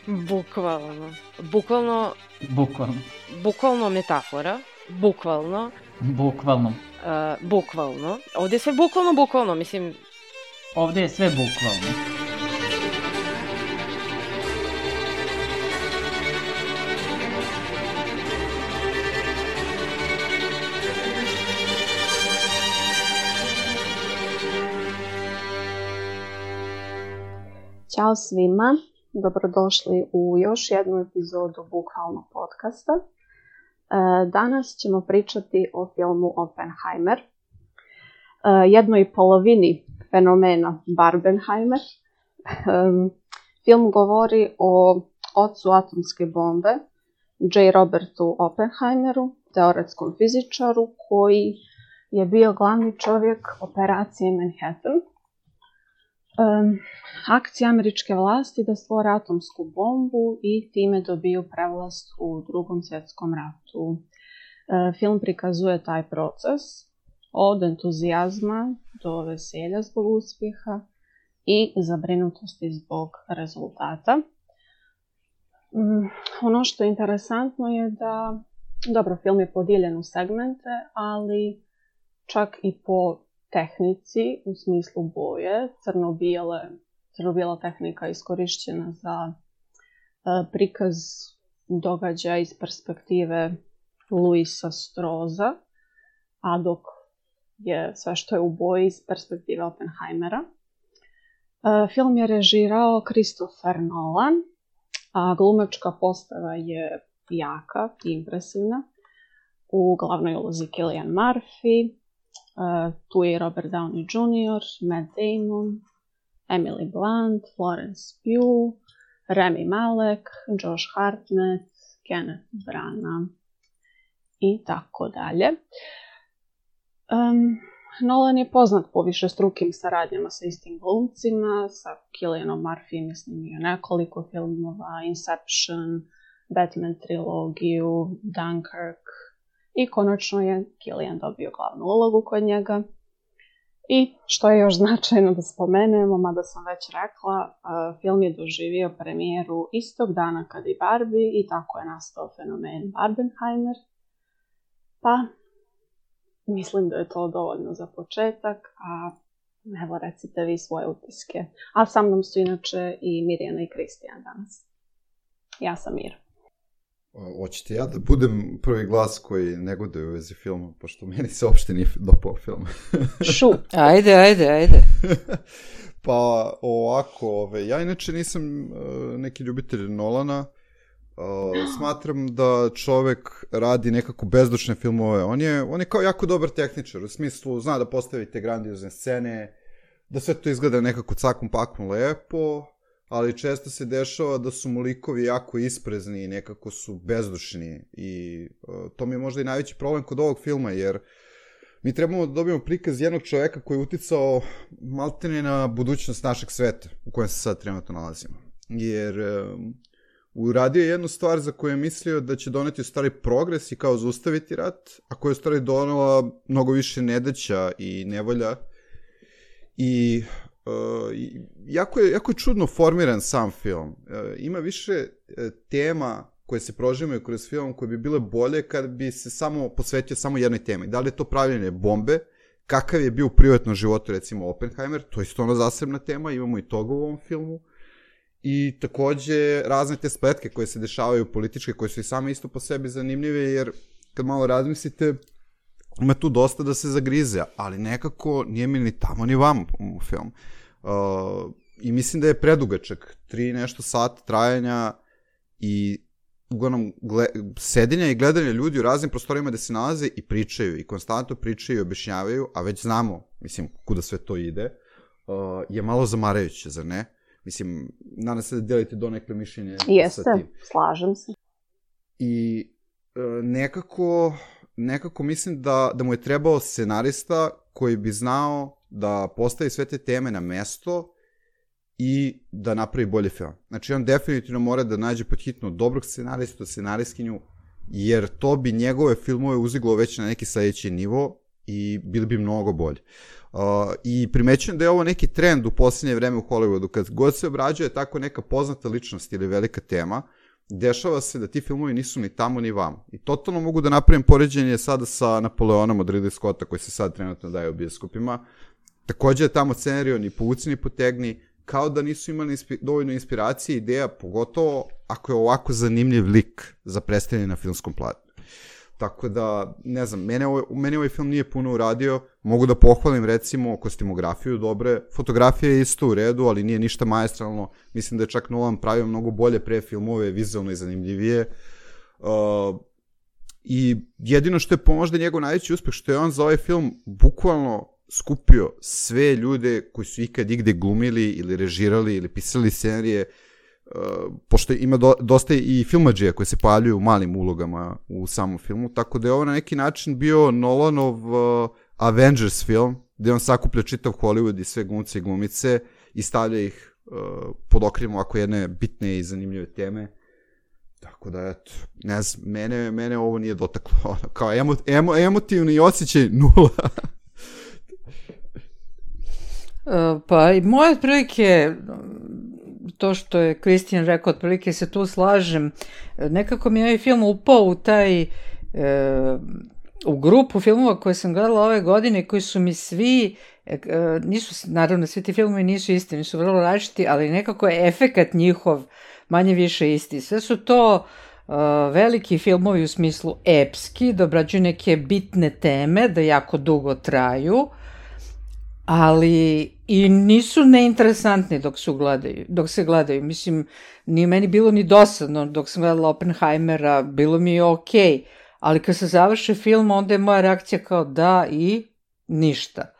Bukvalno. Bukvalno metafora. Bukvalno. Ovdje je sve bukvalno, mislim... Ovdje je sve bukvalno. Ćao svima, dobrodošli u još jednu epizodu Bukvalno podcasta. Danas ćemo pričati o filmu Oppenheimer, jednoj polovini fenomena Barbenheimer. Film govori o ocu atomske bombe, J. Robertu Oppenheimeru, teoretskom fizičaru koji je bio glavni čovjek operacije Manhattan. Akcija američke vlasti da stvore atomsku bombu i time dobiju prevlast u Drugom svjetskom ratu. Film prikazuje taj proces od entuzijazma do veselja zbog uspjeha i zabrinutosti zbog rezultata. Ono što je interesantno je da, dobro, film je podijeljen u segmente, ali čak i po tehnici, u smislu boje, crno-bijela tehnika iskorišćena za prikaz događaja iz perspektive Louisa Straussa, a dok je sve što je u boji iz perspektive Oppenheimera. Film je režirao Christopher Nolan, a glumačka postava je jaka i impresivna. U glavnoj ulozi Cillian Murphy, tu je Robert Downey Jr., Matt Damon, Emily Blunt, Florence Pugh, Rami Malek, Josh Hartnett, Kenneth Branagh i tako dalje. Nolan je poznat po višestrukim saradnjama sa istim glumcima, sa Cillianom Murphyjem je snimio nekoliko filmova, Inception, Batman trilogiju, Dunkirk, i konačno je Cillian dobio glavnu ulogu kod njega. I što je još značajno da spomenemo, mada sam već rekla, film je doživio premijeru istog dana kad i Barbie i tako je nastao fenomen Barbenheimer. Pa, mislim da je to dovoljno za početak, a evo recite vi svoje utiske. A sa mnom su inače i Mirjana i Kristijan danas. Ja sam Mir. Hoćete ja da budem prvi glas koji negoduje u vezi filma, pošto meni se uopšte nije dopao film. Ajde. Pa ovako, ja inače nisam neki ljubitelj Nolana. Smatram da čovek radi nekako bezdušne filmove. On je kao jako dobar tehničar, u smislu zna da postavi te grandiozne scene, da sve to izgleda nekako cakom pakom lepo, ali često se dešava da su mu likovi jako isprezni i nekako su bezdušni i to mi je možda i najveći problem kod ovog filma, jer mi trebamo da dobijemo prikaz jednog čoveka koji je uticao maltene na budućnost našeg sveta u kojem se sad trenutno nalazimo. Jer uradio je jednu stvar za koju je mislio da će doneti u stvari progres i kao zaustaviti rat, a koja je u stvari donela mnogo više nedaća i nevolja i jako je čudno formiran sam film. Ima više tema koje se prožimaju kroz film koje bi bile bolje kad bi se samo posvetio samo jednoj temi. Da li je to pravljenje bombe, kakav je bio u privatnom životu recimo Oppenheimer, to je isto ono zasebna tema, imamo i toga u ovom filmu. I takođe razne te spletke koje se dešavaju političke, koje su i same isto po sebi zanimljive, jer kad malo razmislite, ima tu dosta da se zagrize, ali nekako nije mi ni tamo ni vamo u film. I mislim da je predugačak, 3 nešto sata trajanja i uglavnom sedenja i gledanja ljudi u raznim prostorima gde se nalaze i pričaju, i konstantno pričaju i objašnjavaju, a već znamo, mislim, kuda sve to ide, je malo zamarajuće, zar ne? Mislim, nadam se da delite donekle mišljenje. Jeste, slažem se. I nekako mislim da mu je trebao scenarista koji bi znao da postavi sve te teme na mesto i da napravi bolji film. Znači, on definitivno mora da nađe pod hitno dobrog scenaristu, scenarijskinju, jer to bi njegove filmove uziglo već na neki sledeći nivo i bili bi mnogo bolji. I primećujem da je ovo neki trend u posljednje vreme u Hollywoodu, kad god se obrađuje tako neka poznata ličnost ili velika tema, dešava se da ti filmovi nisu ni tamo ni vamo. I totalno mogu da napravim poređenje sada sa Napoleonom od Ridley Scotta, koji se sad trenutno daje u bioskopima. Takođe je tamo scenario ni povuci ni potegni, kao da nisu imali dovoljno inspiracije i ideja, pogotovo ako je ovako zanimljiv lik za predstavljanje na filmskom platnu. Tako da, ne znam, meni ovaj film nije puno uradio, mogu da pohvalim recimo kostimografiju dobre, fotografija je isto u redu, ali nije ništa maestralno, mislim da je čak Nolan pravio mnogo bolje pre filmove, vizualno i zanimljivije, i jedino što je možda njegov najveći uspeh, što je on za ovaj film bukvalno skupio sve ljude koji su ikad igde glumili ili režirali ili pisali scenarije, pošto ima dosta i filmadžija koji se pojavljuju u malim ulogama u samom filmu, tako da je ovo na neki način bio Nolanov Avengers film, gde on sakuplja čitav Hollywood i sve glumce i glumice i stavlja ih pod okriljem ovako jedne bitne i zanimljive teme. Tako da, eto, ne znam, mene ovo nije dotaklo, kao emotivni osjećaj nula. Pa i moje otprilike, to što je Kristijan rekao, otprilike se tu slažem, nekako mi je ovaj film upao u taj, u grupu filmova koje sam gledala ove godine, koji su mi svi, nisu, naravno svi ti filmovi nisu isti, nisu vrlo različiti, ali nekako je efekat njihov manje više isti. Sve su to veliki filmovi u smislu epski, da obrađuju neke bitne teme, da jako dugo traju, ali i nisu neinteresantni dok se gledaju. Mislim, nije meni bilo ni dosadno dok sam gledala Oppenheimera, bilo mi je okej, ali kad se završi film, onda je moja reakcija kao da i ništa.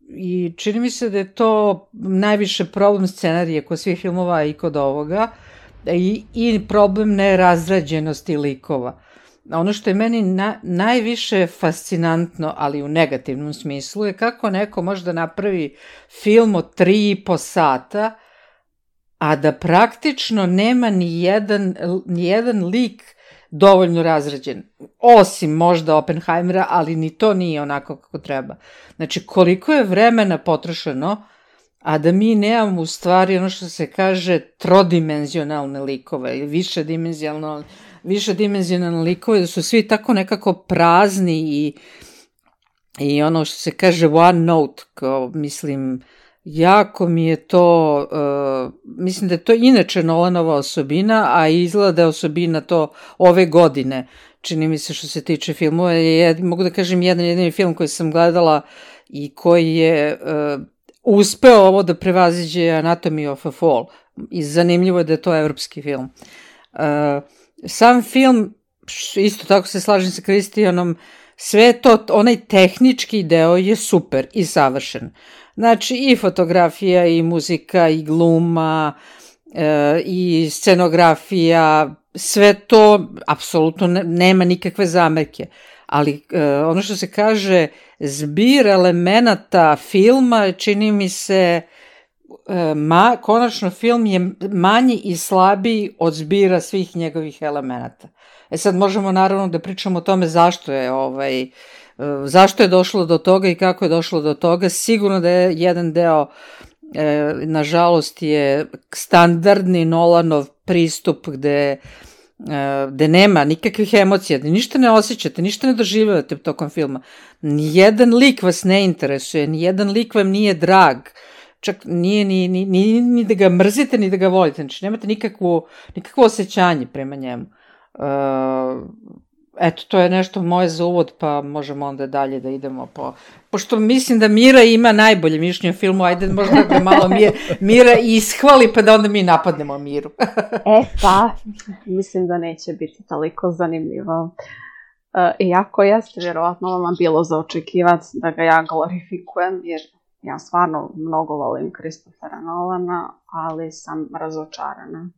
I čini mi se da je to najviše problem scenarije kod svih filmova i kod ovoga i problem nerazrađenosti likova. Ono što je meni najviše fascinantno, ali u negativnom smislu, je kako neko može da napravi film od 3,5 sata, a da praktično nema ni jedan lik dovoljno razrađen. Osim možda Oppenheimera, ali ni to nije onako kako treba. Znači, koliko je vremena potrošeno, a da mi nemamo u stvari ono što se kaže trodimenzionalne likove ili višedimenzionalne likove, da su svi tako nekako prazni i ono što se kaže one note, kao, mislim, jako mi je to, mislim da je to inače Nolanova osobina, a izgleda da je osobina to ove godine, čini mi se što se tiče filmova. Mogu da kažem jedini film koji sam gledala i koji je uspeo ovo da prevaziđe Anatomy of a Fall. I zanimljivo je da je to evropski film. Sam film, isto tako se slažem sa Kristijanom, sve to, onaj tehnički deo je super i savršen. Znači i fotografija, i muzika, i gluma, i scenografija, sve to apsolutno nema nikakve zamerke. Ali ono što se kaže, zbir elemenata filma, čini mi se, konačno film je manji i slabiji od zbira svih njegovih elemenata. Sad možemo naravno da pričamo o tome zašto je došlo do toga i kako je došlo do toga. Sigurno da je jedan deo, nažalost, je standardni Nolanov pristup gde nema nikakvih emocija, da ništa ne osjećate, ništa ne doživljavate tokom filma. Nijedan lik vas ne interesuje, nijedan lik vam nije drag, čak nije ni da ga mrzite, ni da ga volite, znači nemate nikakvo osjećanje prema njemu. Eto, to je nešto moje za uvod, pa možemo onda dalje da idemo pošto mislim da Mira ima najbolje mišljenje o filmu, ajde možda da malo Mira ishvali, pa da onda mi napadnemo Miru. Pa, mislim da neće biti toliko zanimljivo. Iako jeste vjerovatno vama bilo za očekivati da ga ja glorifikujem, jer ja stvarno mnogo volim Christophera Nolana, ali sam razočarana.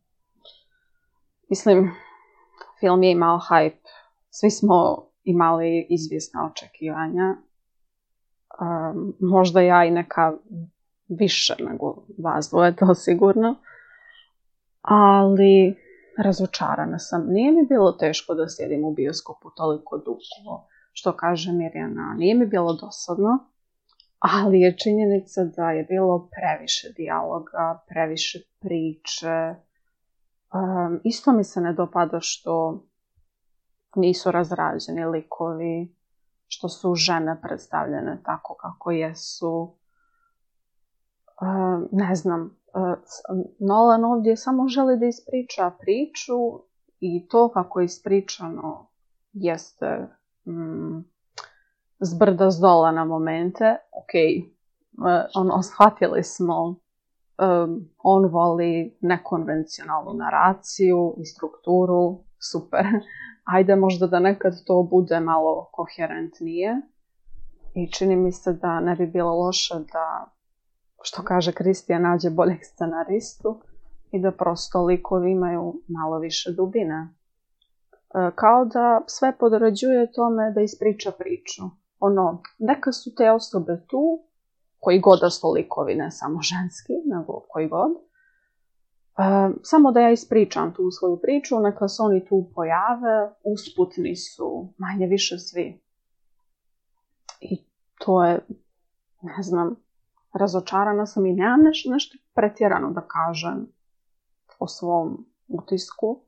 Mislim, film je imao hype, svi smo imali izvjesna očekivanja, možda ja i neka više nego vas dvoje, to sigurno, ali razočarana sam. Nije mi bilo teško da sjedim u bioskopu toliko dugo. što kaže Mirjana, nije mi bilo dosadno, ali je činjenica da je bilo previše dijaloga, previše priče. Isto mi se ne dopada što nisu razrađeni likovi, što su žene predstavljene tako kako jesu. Ne znam, Nolan ovdje samo želi da ispriča priču i to kako je ispričano jeste zbrda zdola na momente. Ok, shvatili smo, on voli nekonvencionalnu naraciju i strukturu, super. Ajde možda da nekad to bude malo koherentnije i čini mi se da ne bi bilo loše da, što kaže Kristijan, nađe boljeg scenaristu i da prosto likovi imaju malo više dubine. Kao da sve podređuje tome da ispriča priču. Neka su te osobe tu, koji god da su likovi, ne samo ženski, nego koji god. Samo da ja ispričam tu svoju priču, neka se oni tu pojave, usputni su manje više svi. I to je, ne znam, razočarana sam i nemam nešto pretjerano da kažem o svom utisku.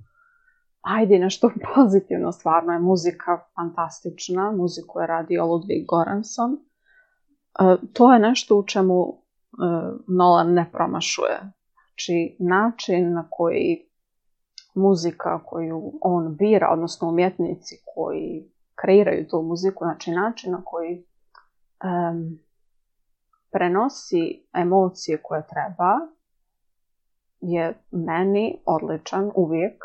Ajde, nešto pozitivno, stvarno je muzika fantastična, muziku je radio Ludwig Göransson. To je nešto u čemu Nolan ne promašuje. Znači, način na koji muzika koju on bira, odnosno umjetnici koji kreiraju tu muziku, znači način na koji prenosi emocije koje treba, je meni odličan uvijek.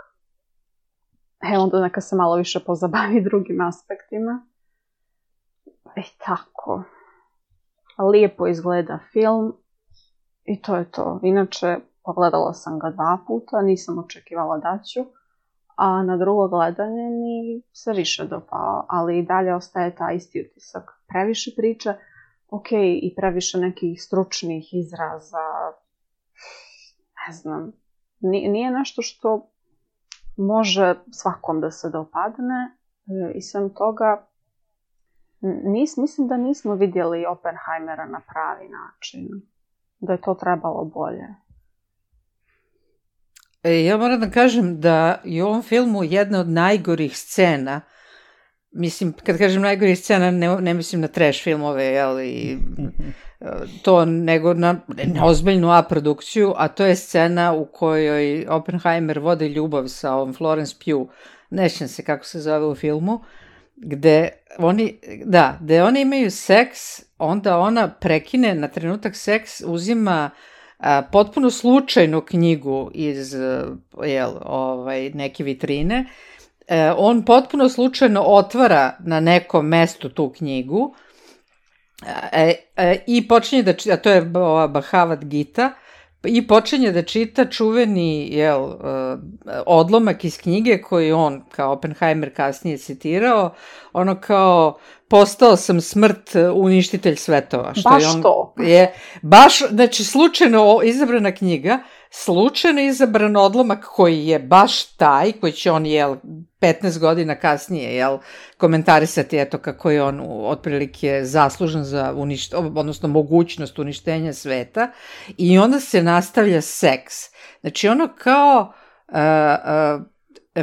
Onda neka se malo više pozabavi drugim aspektima. I tako. Lijepo izgleda film i to je to. Inače, pogledala sam ga 2 puta, nisam očekivala da ću, a na drugo gledanje mi se više dopao, ali i dalje ostaje taj isti utisak. Previše priče, ok, i previše nekih stručnih izraza, ne znam, nije nešto što može svakom da se dopadne i sem toga mislim da nismo vidjeli Oppenheimera na pravi način, da je to trebalo bolje. Ja moram da kažem da je u ovom filmu jedna od najgorih scena, mislim, kad kažem najgorih scena, ne mislim na trash filmove, ali to, nego na ozbiljnu A produkciju, a to je scena u kojoj Oppenheimer vodi ljubav sa ovom Florence Pugh, ne sjećam se kako se zove u filmu, gde oni imaju seks, onda ona prekine na trenutak seks, uzima potpuno slučajnu knjigu iz neke vitrine, on potpuno slučajno otvara na nekom mestu tu knjigu i počinje da čita, a to je Bhagavad Gita, i počinje da čita čuveni odlomak iz knjige koji on kao Oppenheimer kasnije citirao, ono kao postao sam smrt uništitelj svetova. Što baš je on, to. Baš, znači slučajno izabrana knjiga, slučajno izabran odlomak koji je baš taj, koji će on 15 godina kasnije komentarisati eto kako je on otprilike zaslužan za odnosno mogućnost uništenja sveta, i onda se nastavlja seks. Znači ono kao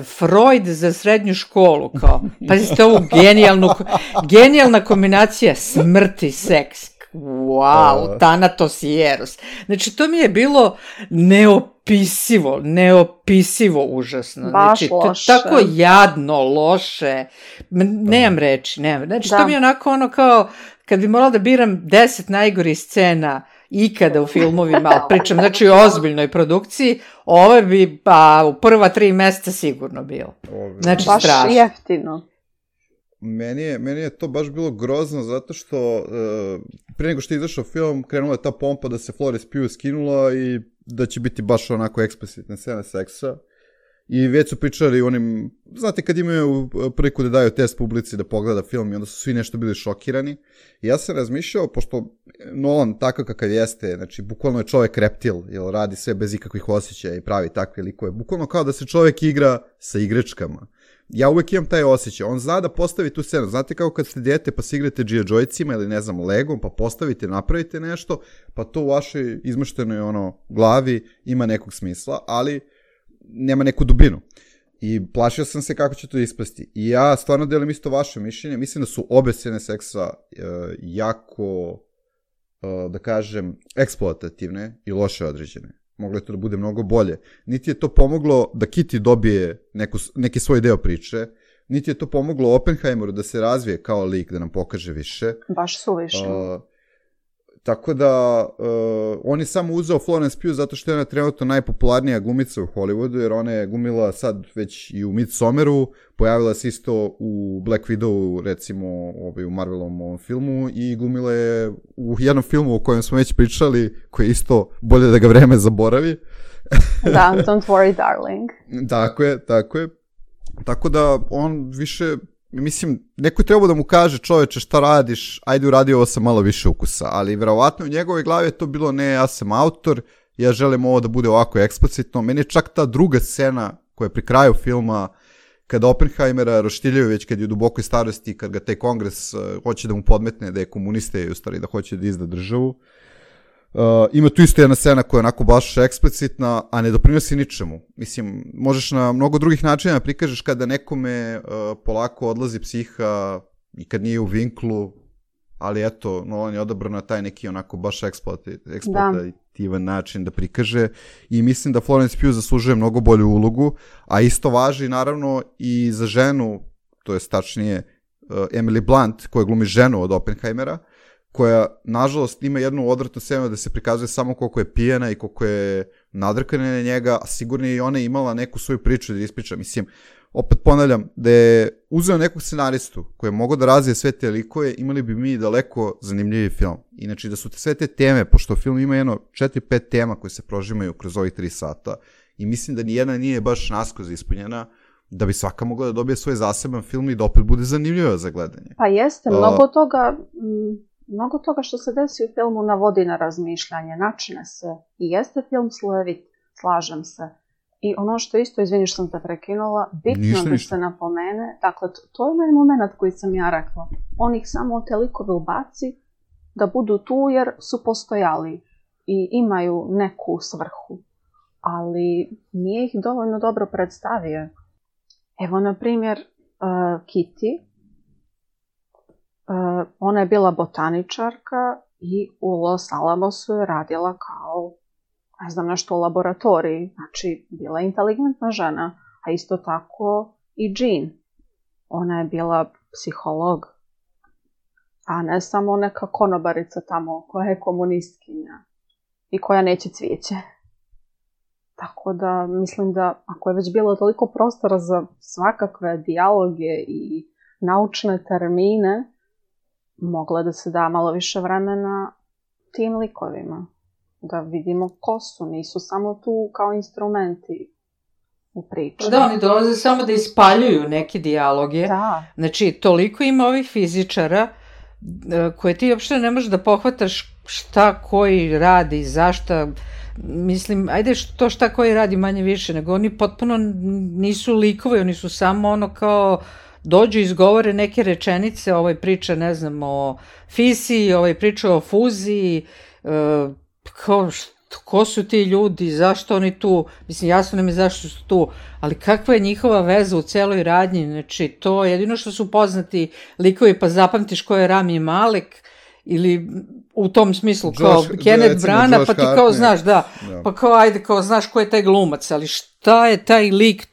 Freud za srednju školu, kao, pazite ovu genijalna kombinacija smrti, seks. Wow, Thanatos i Eros. Znači, to mi je bilo neopisivo užasno. Baš znači, loše. Tako jadno, loše. Nemam reči. Znači, to mi je onako ono kao, kad bi morala da biram 10 najgorih scena ikada u filmovima, ali pričam, znači o ozbiljnoj produkciji, ove bi u prva 3 mjeseca sigurno bilo. Znači, baš strašno. Baš jeftino. Meni je to baš bilo grozno zato što prije nego što je izašao film krenula je ta pompa da se Florence Pugh skinula i da će biti baš onako eksplicitne scene seksa I već su pričali onim, znate kad imaju priliku da daju test publici da pogleda film i onda su svi nešto bili šokirani. I ja sam razmišljao, pošto Nolan takav kakav jeste, znači bukvalno je čovjek reptil, jer radi sve bez ikakvih osjećaja i pravi takve likove. Bukvalno kao da se čovjek igra sa igračkama. Ja uvek imam taj osjećaj. On zna da postavi tu scenu. Znate kao kad ste dijete pa se igrate G.I. Joycima ili ne znam Legom pa postavite, napravite nešto, pa to u vašoj izmeštenoj glavi ima nekog smisla, ali nema neku dubinu. I plašio sam se kako će to ispasti. I ja stvarno delim isto vaše mišljenje. Mislim da su obe scene seksa jako, da kažem, eksploatativne i loše određene. Moglo je to da bude mnogo bolje. Niti je to pomoglo da Kitty dobije neki svoj deo priče, niti je to pomoglo Oppenheimeru da se razvije kao lik, da nam pokaže više. Baš suviše. Tako da, on je samo uzeo Florence Pugh zato što je ona trenutno najpopularnija glumica u Hollywoodu, jer ona je glumila sad već i u Midsommaru, pojavila se isto u Black Widowu, recimo u Marvelovom ovom filmu, i glumila je u jednom filmu o kojem smo već pričali, koji je isto bolje da ga vreme zaboravi. Da, Don't Worry Darling. Tako je. Tako da on više... Mislim, neko je trebao da mu kaže, čoveče, šta radiš, ajde uradi ovo sa malo više ukusa, ali verovatno u njegovoj glavi je to bilo, ne, ja sam autor, ja želim ovo da bude ovako eksplicitno. Meni je čak ta druga scena koja je pri kraju filma, kada Oppenheimera roštiljaju već kad je u dubokoj starosti, kad ga taj kongres hoće da mu podmetne da je komunista i u stvari da hoće da izda državu. Ima tu isto jedna scena koja je onako baš eksplicitna, a ne doprinosi ničemu. Mislim, možeš na mnogo drugih načina prikažeš kada nekome polako odlazi psiha i kad nije u vinklu, ali eto, Nolan je odabran na taj neki onako baš eksploatativan način da prikaže i mislim da Florence Pugh zaslužuje mnogo bolju ulogu, a isto važi naravno i za ženu, to je tačnije Emily Blunt, koja glumi ženu od Oppenheimera, koja, nažalost, ima jednu odvratnu scenu da se prikazuje samo koliko je pijena i koliko je nadrkana na njega, a sigurno je i ona imala neku svoju priču da ispriča. Mislim, opet ponavljam, da je uzeo nekog scenaristu koji je mogao da razvije sve te likove, imali bi mi daleko zanimljiviji film. Inači, da su sve te teme, pošto film ima 4-5 tema koje se prožimaju kroz ovih 3 sata, i mislim da nijedna nije baš naskroz ispunjena, da bi svaka mogla da dobije svoj zaseban film i da opet bude zanimljiva za gledanje. Pa jeste, mnogo toga što se desi u filmu navodi na razmišljanje, načine se. I jeste film slojevit, slažem se. I ono što isto, izvini što sam te prekinula, bitno da se napomene, dakle, to je onaj moment koji sam ja rekla. On ih samo te likove ubaci da budu tu jer su postojali i imaju neku svrhu. Ali nije ih dovoljno dobro predstavio. Evo, na primjer, Kitty. Ona je bila botaničarka i u Los Alamosu je radila kao, ne znam, nešto u laboratoriji. Znači, bila je inteligentna žena, a isto tako i Jean. Ona je bila psiholog, a ne samo neka konobarica tamo koja je komunistkinja i koja neće cvijeće. Tako da, mislim da ako je već bilo toliko prostora za svakakve dijaloge i naučne termine, mogla da se da malo više vremena tim likovima. Da vidimo ko su, nisu samo tu kao instrumenti u priči. Da, oni dolaze samo da ispaljuju neke dijaloge. Da. Znači, toliko ima ovih fizičara koje ti uopšte ne možeš da pohvataš šta koji radi, zašta. Mislim, ajde to šta koji radi manje više, nego oni potpuno nisu likovi, oni su samo ono kao dođu i izgovore neke rečenice, priča, ne znam, o fisiji, priča o fuziji, ko su ti ljudi, zašto oni tu, mislim, jasno nam je zašto su tu, ali kakva je njihova veza u celoj radnji, znači, to jedino što su poznati likovi, pa zapamtiš ko je Rami Malek, ili u tom smislu kao Kenneth Branagh, pa ti kao znaš, pa kao ajde, kao znaš ko je taj glumac, ali šta je taj lik,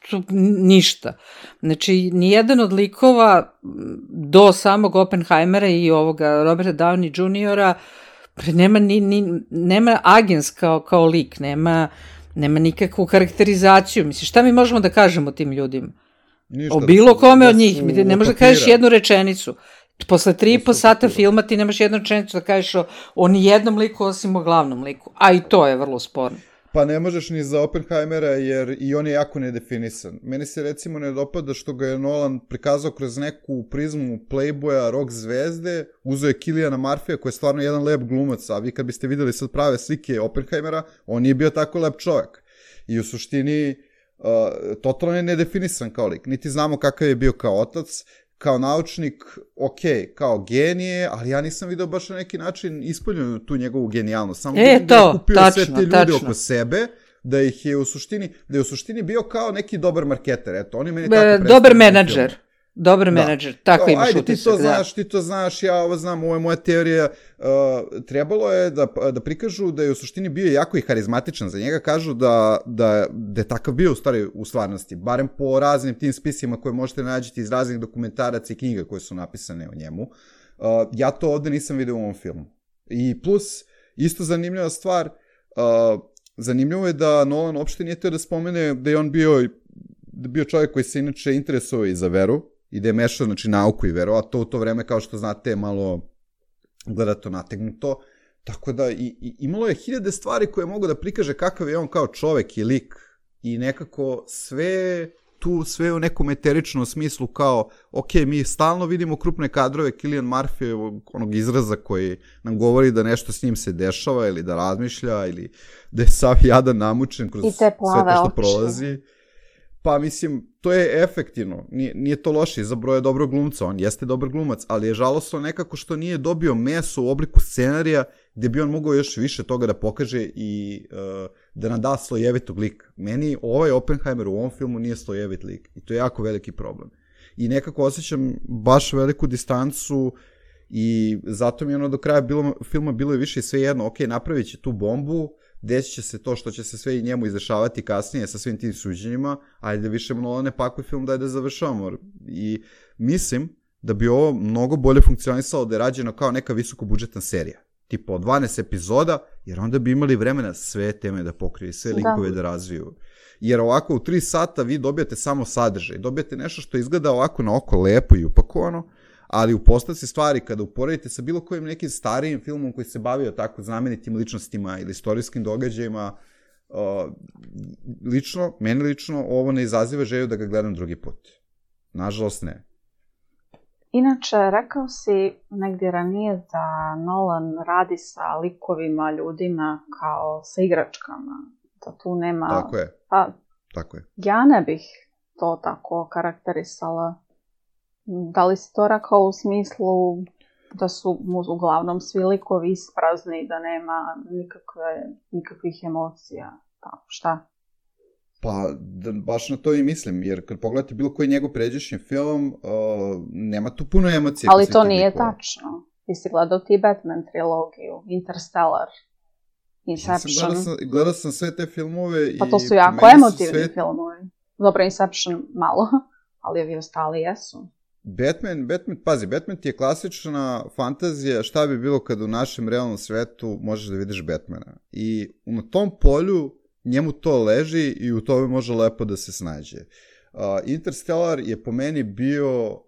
ništa. Znači, nijedan od likova do samog Oppenheimera i ovoga Roberta Downey Jr. Nema agens kao lik, nema nikakvu karakterizaciju. Mislim, šta mi možemo da kažemo tim ljudima? O bilo kome od njih, ne možeš da kažeš jednu rečenicu. Posle 3,5 sata filma ti nemaš jednu rečenicu da kažeš o nijednom liku osim o glavnom liku. A i to je vrlo sporno. Pa ne možeš ni za Oppenheimera jer i on je jako nedefinisan. Meni se recimo ne dopada što ga je Nolan prikazao kroz neku prizmu Playboya, rock zvezde, uzeo je Cilliana Murphyja koji je stvarno jedan lep glumac, a vi kad biste videli sad prave slike Oppenheimera, on nije bio tako lep čovjek. I u suštini totalno je nedefinisan kao lik. Niti znamo kakav je bio kao otac, kao naučnik, ok, kao genije, ali ja nisam video baš na neki način ispoljenu tu njegovu genijalnost. Samo vidim da je kupio sve te ljude oko sebe, da ih je u suštini bio kao neki dobar marketer. Eto, oni meni tako predstavljaju. Dobar menadžer. Dobar menadžer, tako imaš utisak. Ajde, ti to znaš, ja ovo znam, ovo je moja teorija. Trebalo je da prikažu da je u suštini bio jako i harizmatičan. Za njega kažu da je takav bio u stvari u stvarnosti. Barem po raznim tim spisima koje možete nađiti iz raznih dokumentaraca i knjiga koje su napisane o njemu. Ja to ovde nisam vidio u ovom filmu. I plus, isto zanimljiva stvar, zanimljivo je da Nolan uopšte nije teo da spomene da je on bio čovjek koji se inače interesovao i za veru, i da je mešao, znači, nauku i veru, a to u to vreme, kao što znate, je malo gledato nategnuto. Tako da, imalo je hiljade stvari koje mogu da prikaže kakav je on kao čovek i lik. I nekako sve u nekom eteričnom smislu kao, ok, mi stalno vidimo krupne kadrove Cillian Murphy, onog izraza koji nam govori da nešto s njim se dešava ili da razmišlja ili da je sav jadan namučen kroz sve to što prolazi. Pa mislim, to je efektivno, nije to loše, izabrao je dobrog glumca, on jeste dobar glumac, ali je žalosno nekako što nije dobio meso u obliku scenarija gdje bi on mogao još više toga da pokaže i da nam da slojevitog lika. Meni ovaj Oppenheimer u ovom filmu nije slojevit lik i to je jako veliki problem. I nekako osjećam baš veliku distancu i zato mi je ono do kraja filma bilo je više svejedno, ok, napravit će tu bombu, desit će se to što će se sve i njemu izdešavati kasnije sa svim tim suđenjima, ajde da više Nolan ne pakuje film, daj da završavamo. I mislim da bi ovo mnogo bolje funkcionisalo da je rađeno kao neka visokobudžetna serija. Tipa od 12 epizoda, jer onda bi imali vremena sve teme da pokrije, sve likove da razviju. Jer ovako u 3 sata vi dobijate samo sadržaj, dobijate nešto što izgleda ovako na oko lepo i upakovano, ali u postavci stvari, kada uporedite sa bilo kojim nekim starijim filmom koji se bavio tako znamenitim ličnostima ili istorijskim događajima, meni lično, ovo ne izaziva želju da ga gledam drugi put. Nažalost ne. Inače, rekao si negdje ranije da Nolan radi sa likovima, ljudima kao sa igračkama. Da tu nema... Tako je. Pa, tako je. Ja ne bih to tako karakterisala. Da li si to rekao u smislu da su mu uglavnom svi likovi isprazni, da nema nikakvih emocija? Tako, šta? Pa, baš na to i mislim, jer kad pogledate bilo koji njegov pređašnji film, nema tu puno emocija. Ali to nije tačno. Ti si gledao ti Batman trilogiju, Interstellar, Inception. Gledao sam sve te filmove. Pa to su jako emotivni filmovi. Dobro, Inception malo, ali ovi ostali jesu. Batman ti je klasična fantazija šta bi bilo kad u našem realnom svetu možeš da vidiš Batmana. I na tom polju njemu to leži i u tome može lepo da se snađe. Interstellar je po meni bio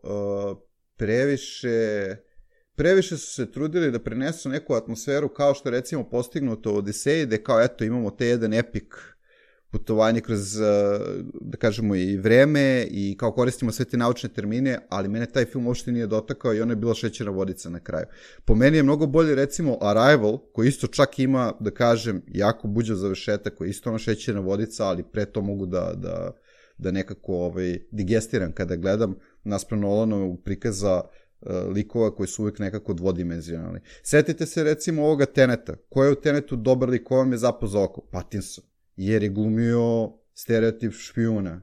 previše su se trudili da prenesu neku atmosferu kao što recimo postignuto u Odiseji, gde kao eto imamo te jedan epik putovanje kroz, da kažemo, i vreme i kao koristimo sve te naučne termine, ali mene taj film uopšte nije dotakao i ona je bila šećerna vodica na kraju. Po meni je mnogo bolje recimo Arrival, koji isto čak ima, da kažem, jako buđav završetak, koji je isto ona šećerna vodica, ali pre to mogu da nekako digestiram kada gledam naspram Nolanovog prikaza likova koji su uvijek nekako dvodimenzionalni. Setite se recimo ovoga Teneta. Ko je u Tenetu dobar lik, ko vam je zapao za oko? Pattinson. Jer je glumio stereotip špijuna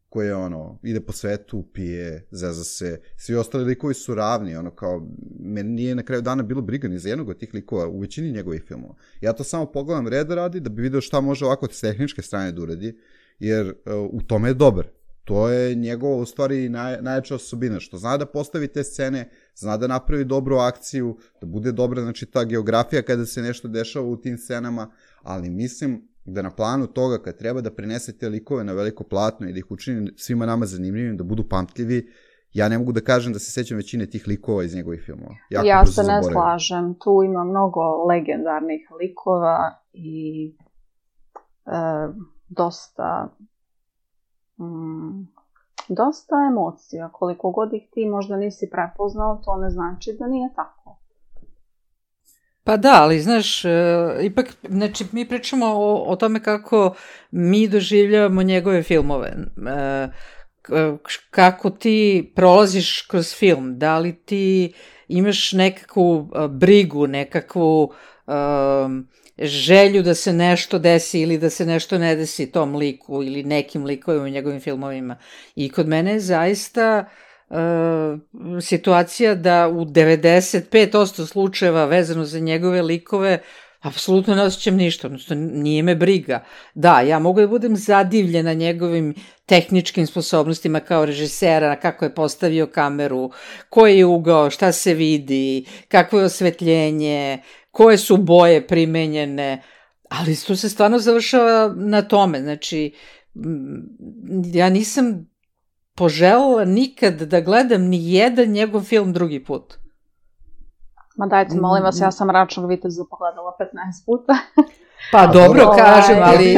koji je ide po svetu, pije, zeza se. Svi ostali likovi su ravni, kao, meni nije na kraju dana bilo briga ni za jednog od tih likova u većini njegovih filmova. Ja to samo pogledam reda radi da bi vidio šta može ovako s tehničke strane da uradi, jer u tome je dobar. To je njegova, u stvari, najjača osobina, što zna da postavi te scene, zna da napravi dobru akciju, da bude dobra, znači, ta geografija kada se nešto dešava u tim scenama, ali mislim da na planu toga kad treba da prenese te likove na veliko platno i da ih učini svima nama zanimljivim, da budu pamtljivi, ja ne mogu da kažem da se sećam većine tih likova iz njegovih filmova. Ja se ne slažem, tu ima mnogo legendarnih likova i dosta emocija. Koliko god ih ti možda nisi prepoznao, to ne znači da nije tako. Pa da, ali znaš, ipak, znači, mi pričamo o tome kako mi doživljavamo njegove filmove. Kako ti prolaziš kroz film, da li ti imaš nekakvu brigu, nekakvu želju da se nešto desi ili da se nešto ne desi tom liku ili nekim likovima u njegovim filmovima. I kod mene je zaista situacija da u 95% slučajeva vezano za njegove likove apsolutno ne osjećam ništa, odnosno nije me briga. Da, ja mogu da budem zadivljena njegovim tehničkim sposobnostima kao režisera, kako je postavio kameru, koji je ugao, šta se vidi, kakvo je osvetljenje, koje su boje primenjene, ali to se stvarno završava na tome. Znači, ja nisam poželjela nikad da gledam ni jedan njegov film drugi put. Ma dajte, molim vas, ja sam Mračnog viteza pogledala 15 puta. Pa dobro, kažem, ali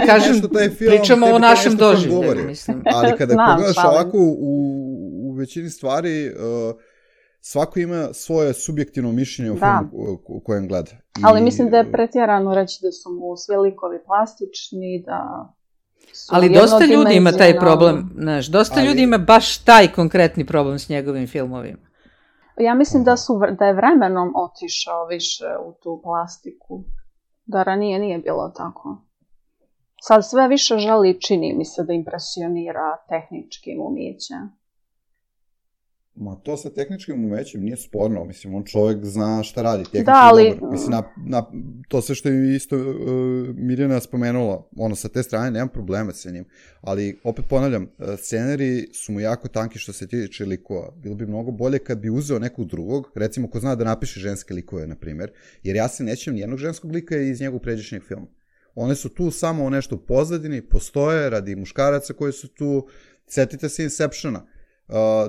kažem, pričamo o našem doživljaju, mislim. Ali kada pogledaš ovako u većini stvari, svako ima svoje subjektivno mišljenje o filmu u kojem gleda. Ali mislim da je pretjerano reći da su mu svi likovi plastični, da su ali dosta ljudi ima taj problem, znaš, dosta ljudi ima baš taj konkretni problem s njegovim filmovima. Ja mislim da je vremenom otišao više u tu plastiku. Da ranije nije bilo tako. Sad sve više želi, čini mi se, da impresionira tehničkim umećem. Ma to sa tehničkim umećem nije sporno, mislim, on čovjek zna šta radi, tehnički dobar. Mislim, to sve što je isto Mirjana spomenula, sa te strane nemam problema sa njim, ali opet ponavljam, scenari su mu jako tanki što se tiče likova. Bilo bi mnogo bolje kad bi uzeo nekog drugog, recimo ko zna da napiše ženske likove, na primjer, jer ja se nećem nijednog ženskog lika iz njegovog pređašnjeg filma. One su tu samo u nešto u pozadini, postoje radi muškaraca koji su tu, setite se Inceptiona.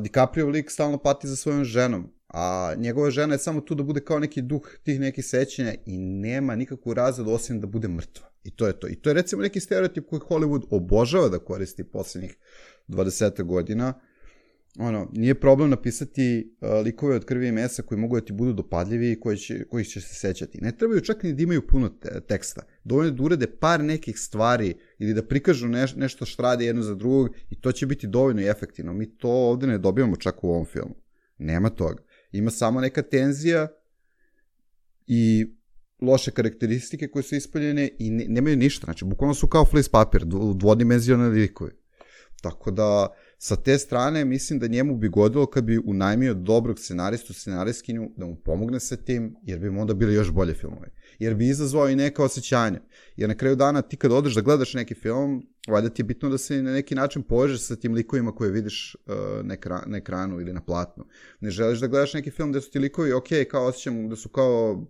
DiCaprio lik stalno pati za svojom ženom, a njegova žena je samo tu da bude kao neki duh tih nekih sećanja i nema nikakvu razredu osim da bude mrtva. I to je to. I to je recimo neki stereotip koji Hollywood obožava da koristi poslednjih 20 godina. Nije problem napisati likove od krvi i mesa koji mogu da ti budu dopadljivi i kojih će se sećati. Ne trebaju čak ni da imaju puno teksta. Dovoljno da urede par nekih stvari ili da prikažu nešto što rade jedno za drugog i to će biti dovoljno i efektivno. Mi to ovde ne dobijamo čak u ovom filmu. Nema toga. Ima samo neka tenzija i loše karakteristike koje su ispaljene i nemaju ništa. Znači, bukvalno su kao flis papir, dvodimenzionalni likovi. Tako da, sa te strane, mislim da njemu bi godilo kad bi unajmio dobrog scenaristu, scenarijskinju, da mu pomogne sa tim, jer bi mu onda bili još bolje filmove. Jer bi izazvao i neka osjećanja. Jer na kraju dana, ti kad odeš da gledaš neki film, valjda ti je bitno da se na neki način povežeš sa tim likovima koje vidiš na ekranu ili na platnu. Ne želiš da gledaš neki film gde su ti likovi, kao osjećam da su kao,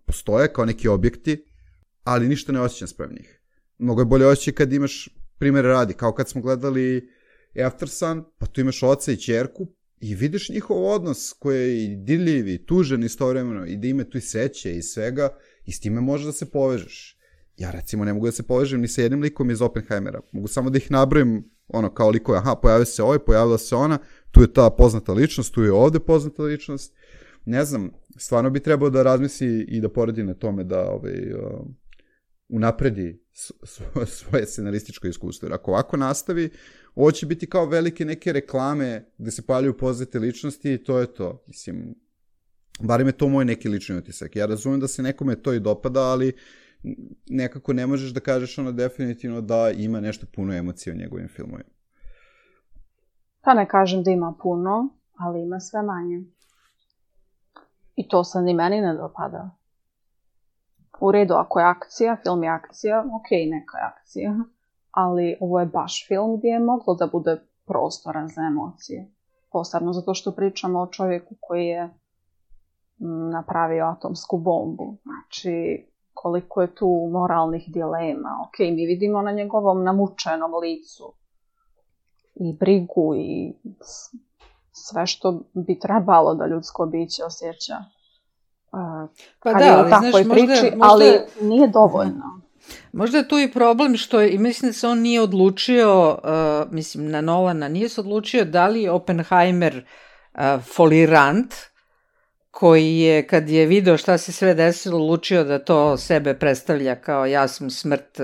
postoje kao neki objekti, ali ništa ne osjećam sprem njih. Mnogo je bolje osjećaj kad imaš primjere radi, kao kad smo gledali Aftersun, pa tu imaš oca i ćerku i vidiš njihov odnos koji je i dirljiv i tužan istovremeno i da ima tu i sreće i svega i s time možeš da se povežeš. Ja recimo ne mogu da se povežem ni sa jednim likom iz Oppenheimera, mogu samo da ih nabrojim kao likove, pojavio se ovaj, pojavila se ona, tu je ta poznata ličnost, tu je ovde poznata ličnost, ne znam, stvarno bi trebao da razmisli i da poradi na tome da unapredi svoje scenarističko iskustvo. Jer ako ovako nastavi, ovo će biti kao velike neke reklame gde se pojavljuju poznate ličnosti i to je to. Mislim, barem je to moj neki lični utisak. Ja razumem da se nekome to i dopada, ali nekako ne možeš da kažeš definitivno da ima nešto puno emocije u njegovim filmovima. Pa ne kažem da ima puno, ali ima sve manje. I to se ni meni ne dopada. U redu, ako je akcija, film je akcija, neka je akcija, ali ovo je baš film gdje je moglo da bude prostora za emocije. Posebno zato što pričamo o čovjeku koji je napravio atomsku bombu. Znači, koliko je tu moralnih dilema. Mi vidimo na njegovom namučenom licu i brigu i sve što bi trebalo da ljudsko biće osjeća. Pa da, ali znaš, priči, ali nije dovoljno. Možda je tu i problem što i mislim da se on nije odlučio, mislim na Nolana, nije se odlučio da li je Oppenheimer folirant, koji je, kad je video šta se sve desilo, odlučio da to sebe predstavlja kao ja sam smrt,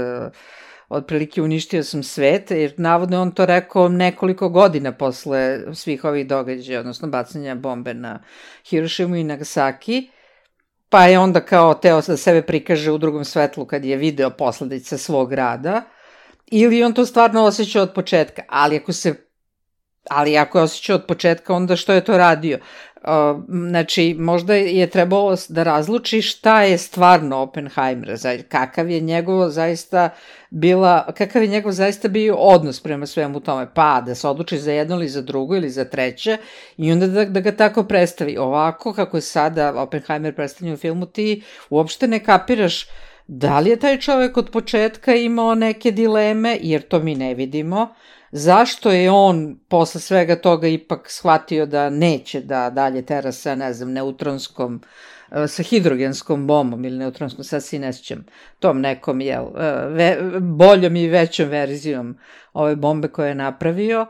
otprilike uništio sam svet, jer navodno on to rekao nekoliko godina posle svih ovih događaja, odnosno bacanja bombe na Hirošimu i Nagasaki, pa je onda kao teo da sebe prikaže u drugom svetlu kad je video posledice svog rada, ili on to stvarno osjećao od početka, ali ako je osjećao od početka, onda što je to radio? Znači, možda je trebalo da razluči šta je stvarno Oppenheimer, kakav je njegov zaista bio odnos prema svemu tome, pa da se odluči za jedno ili za drugo ili za treće i onda da ga tako predstavi. Ovako, kako je sada Oppenheimer predstavljen u filmu, ti uopšte ne kapiraš da li je taj čovek od početka imao neke dileme, jer to mi ne vidimo, zašto je on posle svega toga ipak shvatio da neće da dalje tera sa, ne znam, neutronskom, sa hidrogenskom bombom ili neutronskom, sad si ne sjećam, tom nekom, boljom i većom verzijom ove bombe koje je napravio,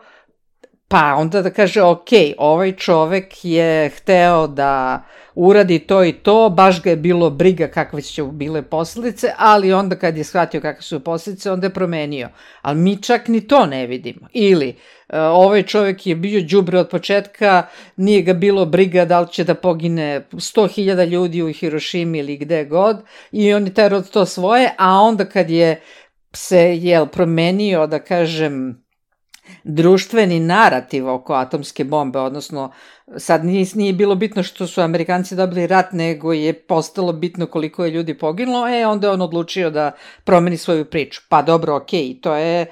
pa onda da kaže, ok, ovaj čovek je hteo da uradi to i to, baš ga je bilo briga kakve će bile posledice, ali onda kad je shvatio kakve su posledice, onda je promenio. Ali mi čak ni to ne vidimo. Ili, ovaj čovek je bio đubre od početka, nije ga bilo briga da li će da pogine 100.000 ljudi u Hirošimi ili gde god, i on je terao to svoje, a onda kad je se promenio, da kažem, društveni narativ oko atomske bombe, odnosno sad nije bilo bitno što su Amerikanci dobili rat, nego je postalo bitno koliko je ljudi poginulo, onda je on odlučio da promeni svoju priču. Pa dobro, okej, to je,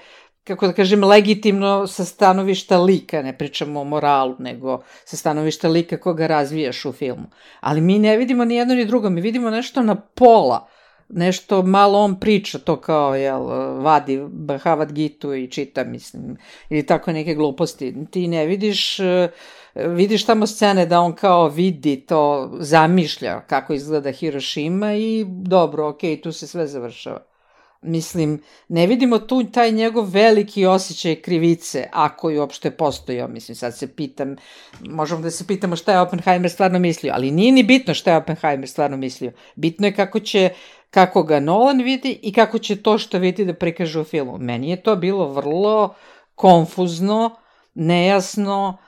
kako da kažem, legitimno sa stanovišta lika, ne pričamo o moralu, nego sa stanovišta lika koga razvijaš u filmu. Ali mi ne vidimo ni jedno ni drugo, mi vidimo nešto na pola, nešto malo on priča, to kao, vadi Bhagavad Gitu i čita, mislim, ili tako neke gluposti. Ti ne vidiš tamo scene da on kao vidi to, zamišlja kako izgleda Hirošima i dobro, okej, tu se sve završava. Mislim, ne vidimo tu taj njegov veliki osjećaj krivice, ako je uopšte postojao. Mislim, sad se pitam, možemo da se pitamo šta je Oppenheimer stvarno mislio, ali nije ni bitno šta je Oppenheimer stvarno mislio. Bitno je kako ga Nolan vidi i kako će to što vidi da prikaže u filmu. Meni je to bilo vrlo konfuzno, nejasno,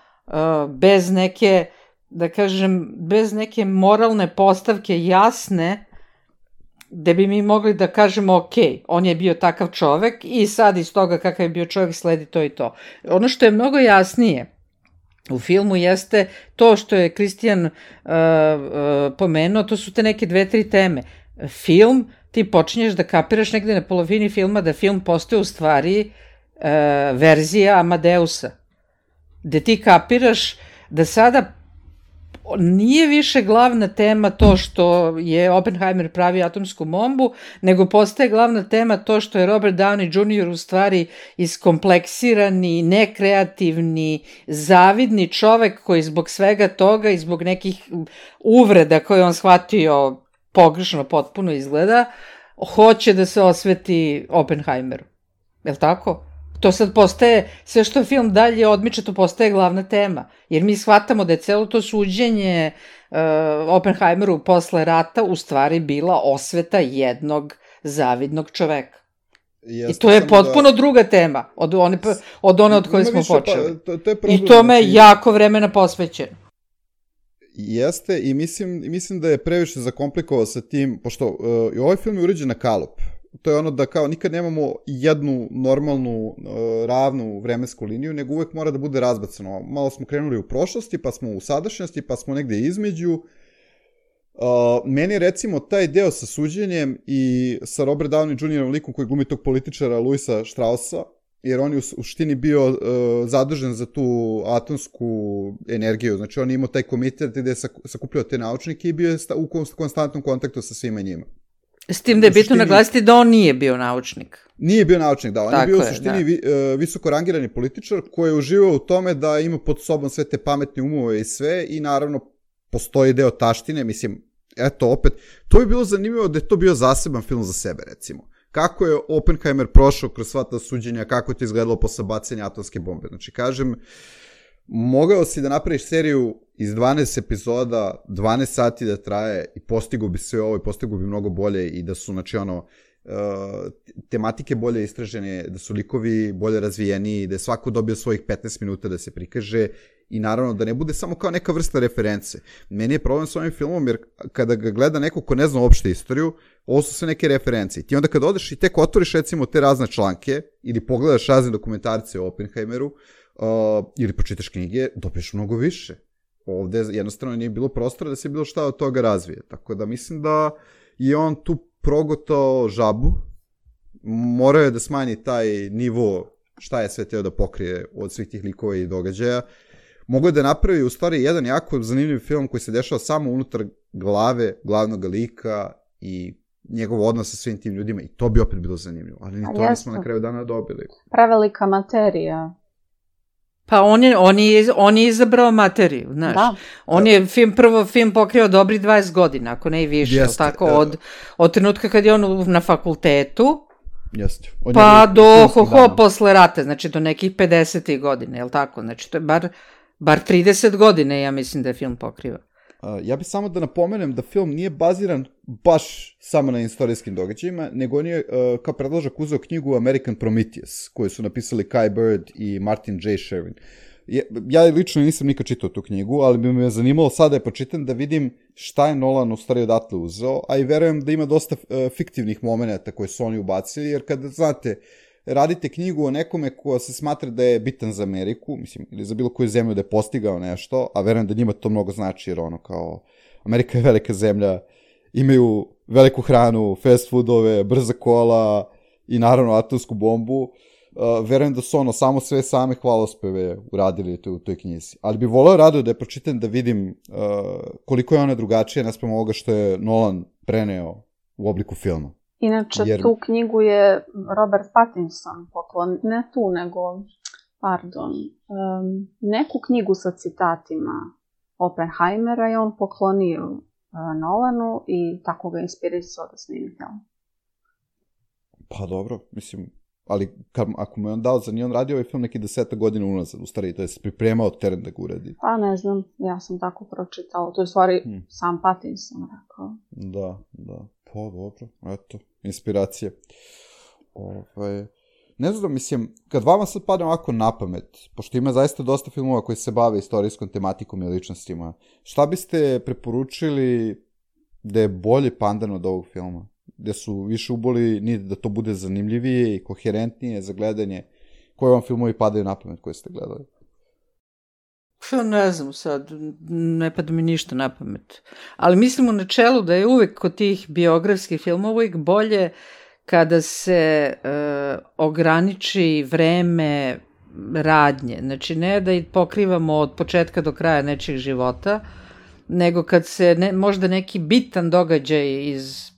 bez neke, da kažem, bez neke moralne postavke jasne, gde bi mi mogli da kažemo, ok, on je bio takav čovek i sad iz toga kakav je bio čovek sledi to i to. Ono što je mnogo jasnije u filmu jeste to što je Kristijan pomenuo, to su te neke 2-3 teme. Film, ti počinješ da kapiraš negde na polovini filma da film postoje u stvari verzija Amadeusa, gde ti kapiraš da sada nije više glavna tema to što je Oppenheimer pravi atomsku bombu, nego postaje glavna tema to što je Robert Downey Jr. u stvari iskompleksirani, nekreativni, zavidni čovek koji zbog svega toga i zbog nekih uvreda koje on shvatio pogrešno potpuno izgleda, hoće da se osveti Oppenheimeru. Je li tako? To sad postaje, sve što film dalje odmiče, to postaje glavna tema. Jer mi shvatamo da je celo to suđenje Oppenheimeru posle rata u stvari bila osveta jednog zavidnog čoveka. I to je potpuno druga tema od one od koje smo počeli. I tome je jako vremena posvećeno. Jeste, i mislim da je previše zakomplikovao sa tim, pošto i ovaj film je urađen na kalup. To je ono da kao nikad nemamo jednu normalnu, ravnu vremensku liniju, nego uvek mora da bude razbacano. Malo smo krenuli u prošlosti, pa smo u sadašnjosti, pa smo negde između. Meni recimo taj deo sa suđenjem i sa Robert Downey Jr. likom koji glumi tog političara Louisa Straussa, jer on je u suštini bio zadužen za tu atomsku energiju. Znači on je imao taj komitet gde je sakupljao te naučnike i bio je u konstantnom kontaktu sa svima njima. S tim da je bitno naglasiti da on nije bio naučnik. Nije bio naučnik, da. On je bio u suštini visoko rangirani političar koji je uživao u tome da ima pod sobom sve te pametne umove i sve i naravno postoji deo taštine, mislim, eto opet, to bi bilo zanimljivo da je to bio zaseban film za sebe, recimo. kako je Oppenheimer prošao kroz sva ta suđenja, kako je to izgledalo posle bacanja atomske bombe. Znači, kažem, mogao si da napraviš seriju iz 12 epizoda, 12 sati da traje i postigo bi sve ovo i postigo bi mnogo bolje i da su, znači, tematike bolje istražene, da su likovi bolje razvijeni, da je svako dobio svojih 15 minuta da se prikaže i naravno da ne bude samo kao neka vrsta reference. Meni je problem s ovim filmom jer kada ga gleda neko ko ne zna uopšte istoriju, ovo su sve neke reference. I ti onda kada odeš i tek otvoriš recimo te razne članke ili pogledaš razne dokumentarce o Oppenheimeru ili pročitaš knjige, dobiješ mnogo više. Ovde jednostavno nije bilo prostora da se bilo šta od toga razvije. Tako da mislim da je on tu progotao žabu, morao je da smanji taj nivo šta je sve teo da pokrije od svih tih likova i događaja. Mogu da napravi u stvari jedan jako zanimljiv film koji se dešava samo unutar glave glavnog lika i njegov odnos sa svim tim ljudima i to bi opet bilo zanimljivo, ali ni to nismo na kraju dana dobili. Prevelika materija. Pa on je izabrao materiju, znaš. Da. On je film pokrio dobri 20 godina, ako ne i više. Jeste, tako, od trenutka kad je on na fakultetu, jeste. Pa do posle rata, znači do nekih 50. godine, je li tako? Znači to je bar 30 godine, ja mislim da je film pokriva. Ja bih samo da napomenem da film nije baziran baš samo na istorijskim događajima, nego on je kao predložak uzeo knjigu American Prometheus, koju su napisali Kai Bird i Martin J. Sherwin. Ja lično nisam nikad čitao tu knjigu, ali bi me zanimalo sada je počitam da vidim šta je Nolan u stvari odatle uzeo, a i verujem da ima dosta fiktivnih momenata koje su oni ubacili, jer kada, znate, radite knjigu o nekome ko se smatra da je bitan za Ameriku, mislim, ili za bilo koju zemlju da je postigao nešto, a verujem da njima to mnogo znači, jer kao, Amerika je velika zemlja, imaju veliku hranu, fast foodove, brza kola i naravno atomsku bombu, verujem da su samo sve same hvalospeve uradili u toj knjizi. Ali bi voleo rado da je pročitam da vidim koliko je ona drugačija naspram ovoga što je Nolan preneo u obliku filma. Inače, tu knjigu je Robert Pattinson poklon, ne tu, nego, neku knjigu sa citatima Oppenheimera je on poklonio Nolanu i tako ga inspirisao da snimi film. Pa dobro, mislim, ali ako mu je on dao za njih, on radio ovaj film neki 10 godina unazad, u stvari, to je se pripremao teren da ga uradi. Pa ne znam, ja sam tako pročitala, to je u stvari sam Pattinson rekao. Da, pa dobro, eto, inspiracije. Ne znam, mislim, kad vama sad padne ovako na pamet, pošto ima zaista dosta filmova koji se bave istorijskom tematikom i ličnostima, šta biste preporučili da je bolje pandan od ovog filma? Gde su više uboli da to bude zanimljivije i koherentnije za gledanje? Koji vam filmovi padaju na pamet koje ste gledali? Ne znam sad, ne pada mi ništa na pamet. Ali mislim u načelu da je uvek kod tih biografskih filmova uvek bolje kada se ograniči vreme radnje. Znači ne da ih pokrivamo od početka do kraja nečeg života, nego kad se možda neki bitan događaj iz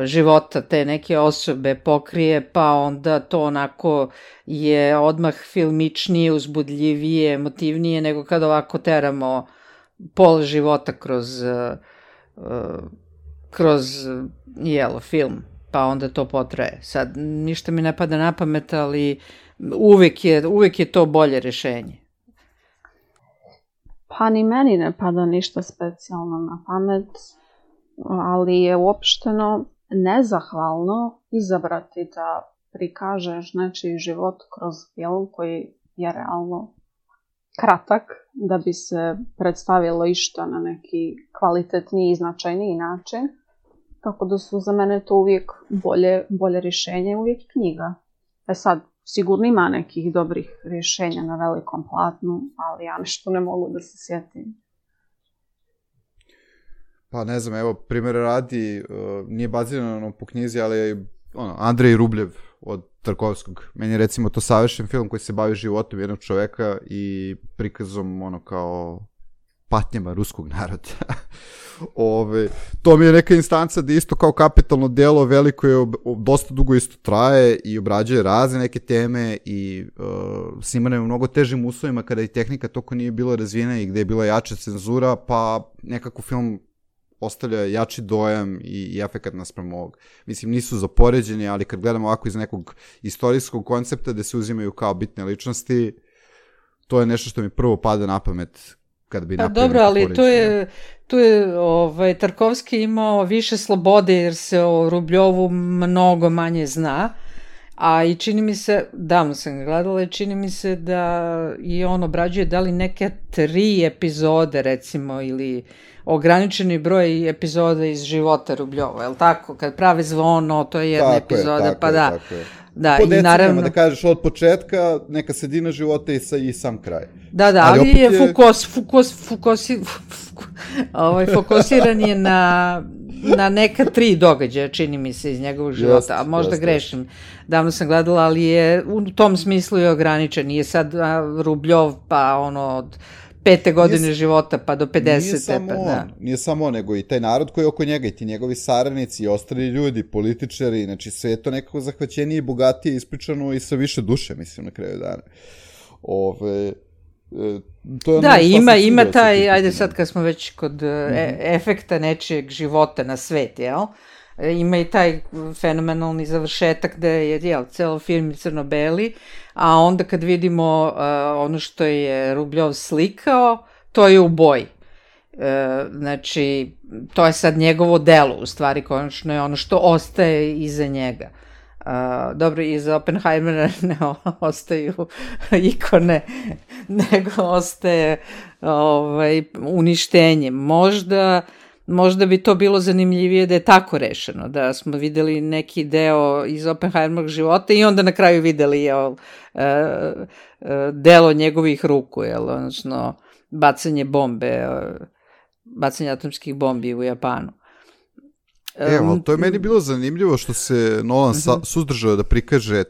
života te neke osobe pokrije, pa onda to onako je odmah filmičnije, uzbudljivije, emotivnije, nego kad ovako teramo pola života kroz film, pa onda to potraje. Sad, ništa mi ne pada na pamet, ali uvek je to bolje rešenje. Pa ni meni ne pada ništa specijalno na pamet, ali je uopšteno nezahvalno izabrati da prikažeš nečiji život kroz film koji je realno kratak, da bi se predstavilo išta na neki kvalitetniji i značajniji način. Tako da su za mene to uvijek bolje rješenje, uvijek knjiga. Sad, sigurno ima nekih dobrih rješenja na velikom platnu, ali ja nešto ne mogu da se sjetim. Pa ne znam, evo, primjer radi, nije bazirano po knjizi, ali je Andrej Rubljev od Tarkovskog. Meni je recimo to savršen film koji se bavi životom jednog čoveka i prikazom kao patnjama ruskog naroda. To mi je neka instanca da isto kao kapitalno delo veliko je, dosta dugo isto traje i obrađuje razne neke teme i snimano je u mnogo težim uslovima kada i tehnika toko nije bila razvijena i gde je bila jača cenzura, pa nekako film ostavlja jači dojam i efekat naspram ovog. Mislim, nisu za poređenje, ali kad gledamo ovako iz nekog istorijskog koncepta gde se uzimaju kao bitne ličnosti, to je nešto što mi prvo pada na pamet kad bi napravili dobro, ali tu je Tarkovski imao više slobode jer se o Rubljovu mnogo manje zna, a i čini mi se, davno sam ga gledala, i čini mi se da i on obrađuje da li neke 3 epizode recimo ili ograničeni broj epizoda iz života Rubljova, je li tako? Kad pravi Zvono, to je jedna epizoda, pa da. Da, po decenijama, naravno, da kažeš od početka, neka sredina života i sam kraj. Da, ali je fokusiran je na neka 3 događaja, čini mi se, iz njegovog života, a možda grešim. Davno sam gledala, ali je u tom smislu je ograničen. Nije sad Rubljov, pa od 5. godine života pa do 50. Nije samo on, nego i taj narod koji je oko njega, i ti njegovi saradnici i ostali ljudi, političari, znači sve je to nekako zahvaćenije i bogatije ispričano i sa više duše, mislim, na kraju dana. To je da, ima taj, ajde sad kad smo već kod efekta nečijeg života na svet, jel? Ima i taj fenomenalni završetak gde je celo film crno-beli, a onda kad vidimo ono što je Rubljov slikao, to je u boji. Znači, to je sad njegovo delo, u stvari, konačno je ono što ostaje iza njega. Dobro, iza Oppenheimera ne ostaju ikone, nego ostaje uništenje. Možda bi to bilo zanimljivije da je tako rešeno, da smo videli neki deo iz Oppenheimerovog života i onda na kraju videli delo njegovih ruku, odnosno bacanje atomskih bombi u Japanu. Evo, to je meni bilo zanimljivo što se Nolan suzdržao da prikaže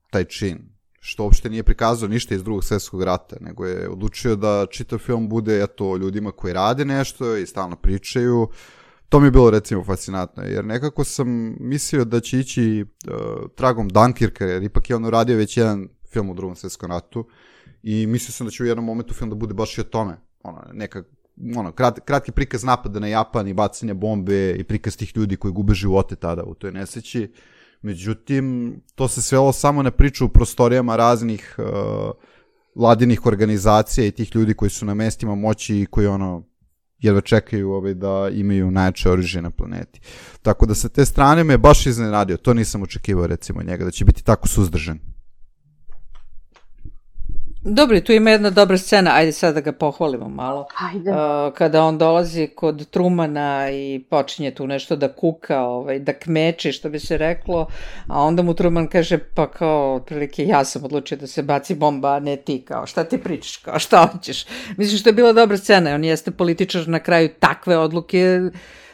taj čin, što uopšte nije prikazao ništa iz Drugog svjetskog rata, nego je odlučio da čitav film bude o ljudima koji rade nešto i stalno pričaju. To mi je bilo recimo fascinantno, jer nekako sam mislio da će ići tragom Dunkirka, jer ipak je on uradio već jedan film u Drugom svjetskom ratu i mislio sam da će u jednom momentu film da bude baš i o tome. Kratki prikaz napada na Japan i bacanja bombe i prikaz tih ljudi koji gube živote tada u toj nesreći. Međutim, to se svelo samo na priču u prostorijama raznih vladinih organizacija i tih ljudi koji su na mestima moći i koji jedva čekaju da imaju najjače oružje na planeti. Tako da sa te strane me baš iznenadio. To nisam očekivao recimo njega, da će biti tako suzdržan. Dobro, tu ima jedna dobra scena, ajde sad da ga pohvalimo malo. Ajde. Kada on dolazi kod Trumana i počinje tu nešto da kuka, da kmeči, što bi se reklo, a onda mu Truman kaže, pa kao, otprilike, ja sam odlučio da se baci bomba, a ne ti, kao, šta ti pričaš, kao, šta hoćeš? Mislim što je bila dobra scena, on jeste političar, na kraju takve odluke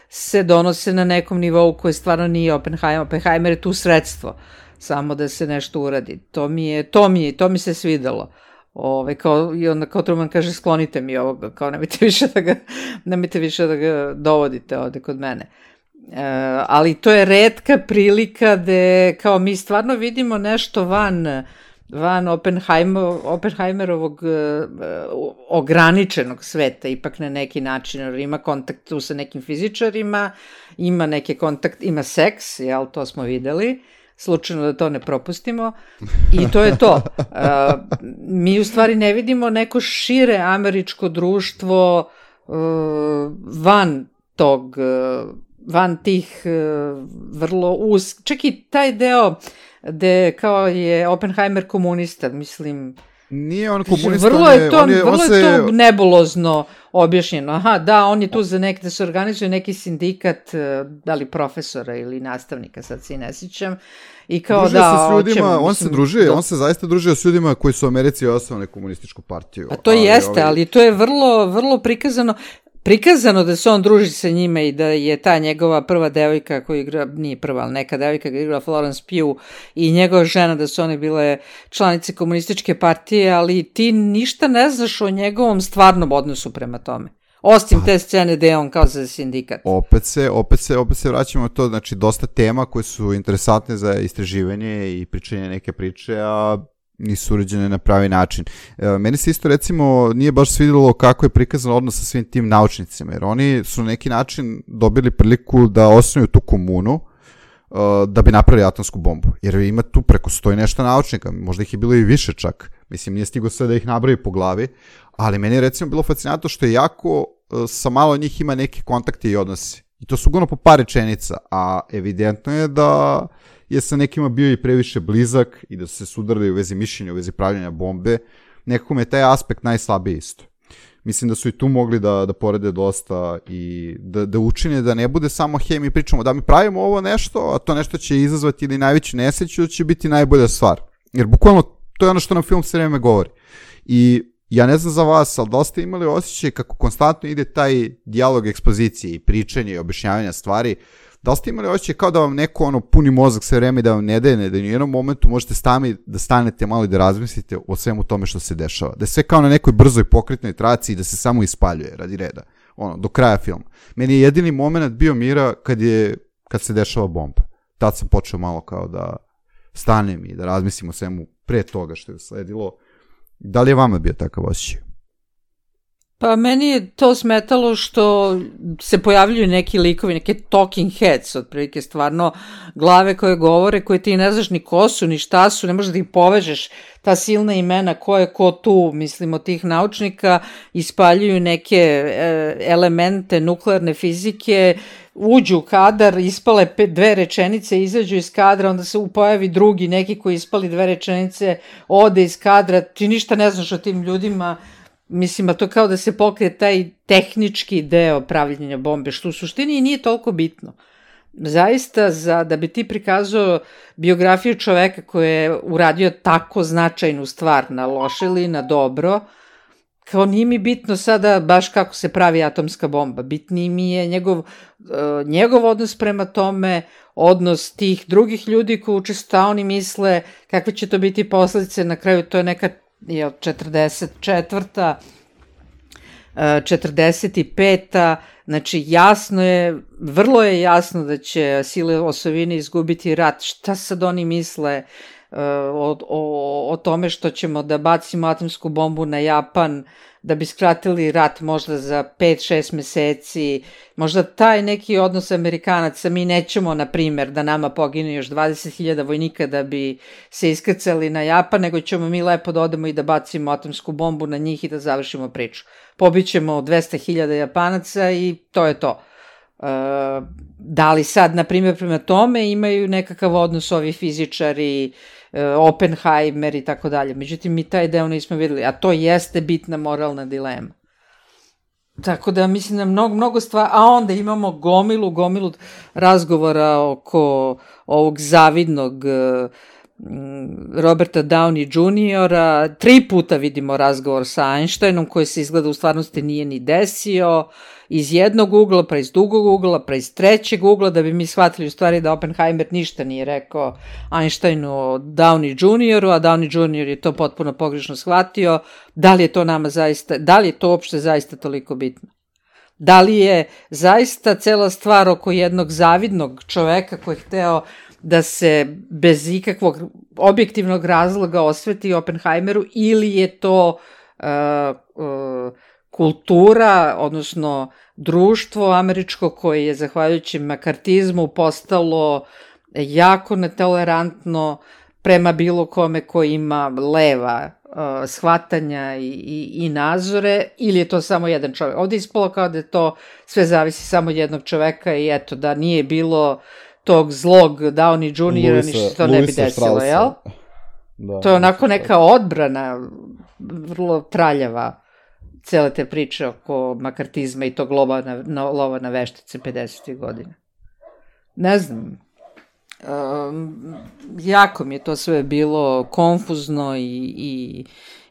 se donose na nekom nivou koji stvarno nije Oppenheimer. Oppenheimer je tu sredstvo, samo da se nešto uradi. To mi se svidelo. I onda kao Truman kaže, sklonite mi ovoga, kao nemojte više da ga dovodite ovde kod mene. Ali to je retka prilika gde kao mi stvarno vidimo nešto van Oppenheimerovog ograničenog sveta, ipak na neki način, jer ima kontakt tu sa nekim fizičarima, ima neki kontakt, ima seks, to smo videli, slučajno da to ne propustimo, i to je to. Mi u stvari ne vidimo neko šire američko društvo van tih vrlo čak i taj deo gde kao je Oppenheimer komunista, mislim. Nije on komunista, vrlo je to nebulozno objašnjeno. Aha, da, on je tu za da se organizuje neki sindikat, da li profesora ili nastavnika, sad se i ne sjećam. I kao družio se s ljudima, on se zaista družio s ljudima koji su u Americi osnovali komunističku partiju. A to jeste, ali to je vrlo, vrlo prikazano da se on druži sa njima i da je ta njegova prva devojka koja igra, nije prva, ali neka devojka koja igra Florence Pugh i njegova žena, da su one bile članice komunističke partije, ali ti ništa ne znaš o njegovom stvarnom odnosu prema tome. Osim te scene gde je on kao za sindikat. Opet se vraćamo na to, znači dosta tema koje su interesantne za istraživanje i pričanje neke priče, a nisu urađene na pravi način. Meni se isto recimo nije baš svidjelo kako je prikazan odnos sa svim tim naučnicima, jer oni su na neki način dobili priliku da osnuju tu komunu da bi napravili atomsku bombu. Jer ima tu preko 100 i nešto naučnika, možda ih je bilo i više čak. Mislim, nije stigo sve da ih nabravi po glavi, ali meni je recimo bilo fascinantno što je jako sa malo njih ima neke kontakte i odnose. I to su uglavnom po par rečenica, a evidentno je da je sa nekima bio i previše blizak i da su se sudarili u vezi mišljenja, u vezi pravljanja bombe. Nekako me je taj aspekt najslabiji isto. Mislim da su i tu mogli da porede dosta i da učine da ne bude samo mi pričamo da mi pravimo ovo nešto, a to nešto će izazvati ili najveću nesreću, da će biti najbolja stvar. Jer bukvalno to je ono što nam film sve vreme govori. I ja ne znam za vas, ali da li ste imali osjećaj kako konstantno ide taj dijalog ekspozicije i pričanje i objašnjavanja stvari, da li ste imali osjećaj kao da vam neko puni mozak sve vreme da vam ne daje, da u jednom momentu možete da stanete malo i da razmislite o svemu tome što se dešava. Da je sve kao na nekoj brzoj pokretnoj traci i da se samo ispaljuje radi reda. Do kraja filma. Meni je jedini moment bio mira kad se dešava bomba. Tad sam počeo malo kao da stanem i da razmislim o svemu pre toga što je usledilo. Da li je vama bio takav osjećaj? Pa meni je to smetalo što se pojavljuju neki likovi, neke talking heads, otprilike stvarno glave koje govore, koje ti ne znaš ni ko su, ni šta su, ne možeš da ih povežeš, ta silna imena ko je ko tu, mislim, od tih naučnika, ispaljuju neke elemente nuklearne fizike, uđu u kadar, ispale 2 rečenice, izađu iz kadra, onda se pojavi drugi, neki koji ispali 2 rečenice, ode iz kadra, ti ništa ne znaš o tim ljudima. Mislim, a to kao da se pokrije taj tehnički deo pravljenja bombe, što u suštini nije toliko bitno. Zaista, da bi ti prikazao biografiju čoveka koji je uradio tako značajnu stvar na loše ili na dobro, kao nije mi bitno sada baš kako se pravi atomska bomba. Bitniji mi je njegov odnos prema tome, odnos tih drugih ljudi koji učesto oni misle kakve će to biti posledice. Na kraju to je neka 44. 45. Znači vrlo je jasno da će sile osovine izgubiti rat. Šta sad oni misle o tome što ćemo da bacimo atomsku bombu na Japan, da bi skratili rat možda za 5-6 meseci, možda taj neki odnos Amerikanaca, mi nećemo, na primjer, da nama pogine još 20.000 vojnika da bi se iskrcali na Japan, nego ćemo mi lepo da odemo i da bacimo atomsku bombu na njih i da završimo priču. Pobićemo 200.000 Japanaca i to je to. Da li sad, na primjer, prema tome imaju nekakav odnos ovi fizičari, Oppenheimer i tako dalje. Međutim, mi taj deo nismo videli, a to jeste bitna moralna dilema. Tako da mislim da mnogo stvari, a onda imamo gomilu razgovora oko ovog zavidnog Roberta Downey Jr. 3 puta vidimo razgovor sa Einsteinom koji se izgleda u stvarnosti nije ni desio, iz jednog ugla, pa iz drugog ugla, pa iz trećeg ugla, da bi mi shvatili u stvari da Oppenheimer ništa nije rekao Einsteinu o Downey Jr., a Downey Jr. je to potpuno pogrešno shvatio. Da li je to nama zaista, da li je to uopšte zaista toliko bitno? Da li je zaista cela stvar oko jednog zavidnog čoveka koji je hteo da se bez ikakvog objektivnog razloga osveti Oppenheimeru, ili je to kultura, odnosno društvo američko koje je zahvaljujući makartizmu postalo jako netolerantno prema bilo kome koji ima leva shvatanja i nazore, ili je to samo jedan čovjek. Ovdje je ispalo kao da to sve zavisi samo od jednog čoveka i eto, da nije bilo tog zlog Downey Jr. ništa to ne bi desilo, jel? Da, to je onako neka odbrana vrlo traljava cele te priče oko makartizma i tog lova na veštice 50. godina. Ne znam, jako mi je to sve bilo konfuzno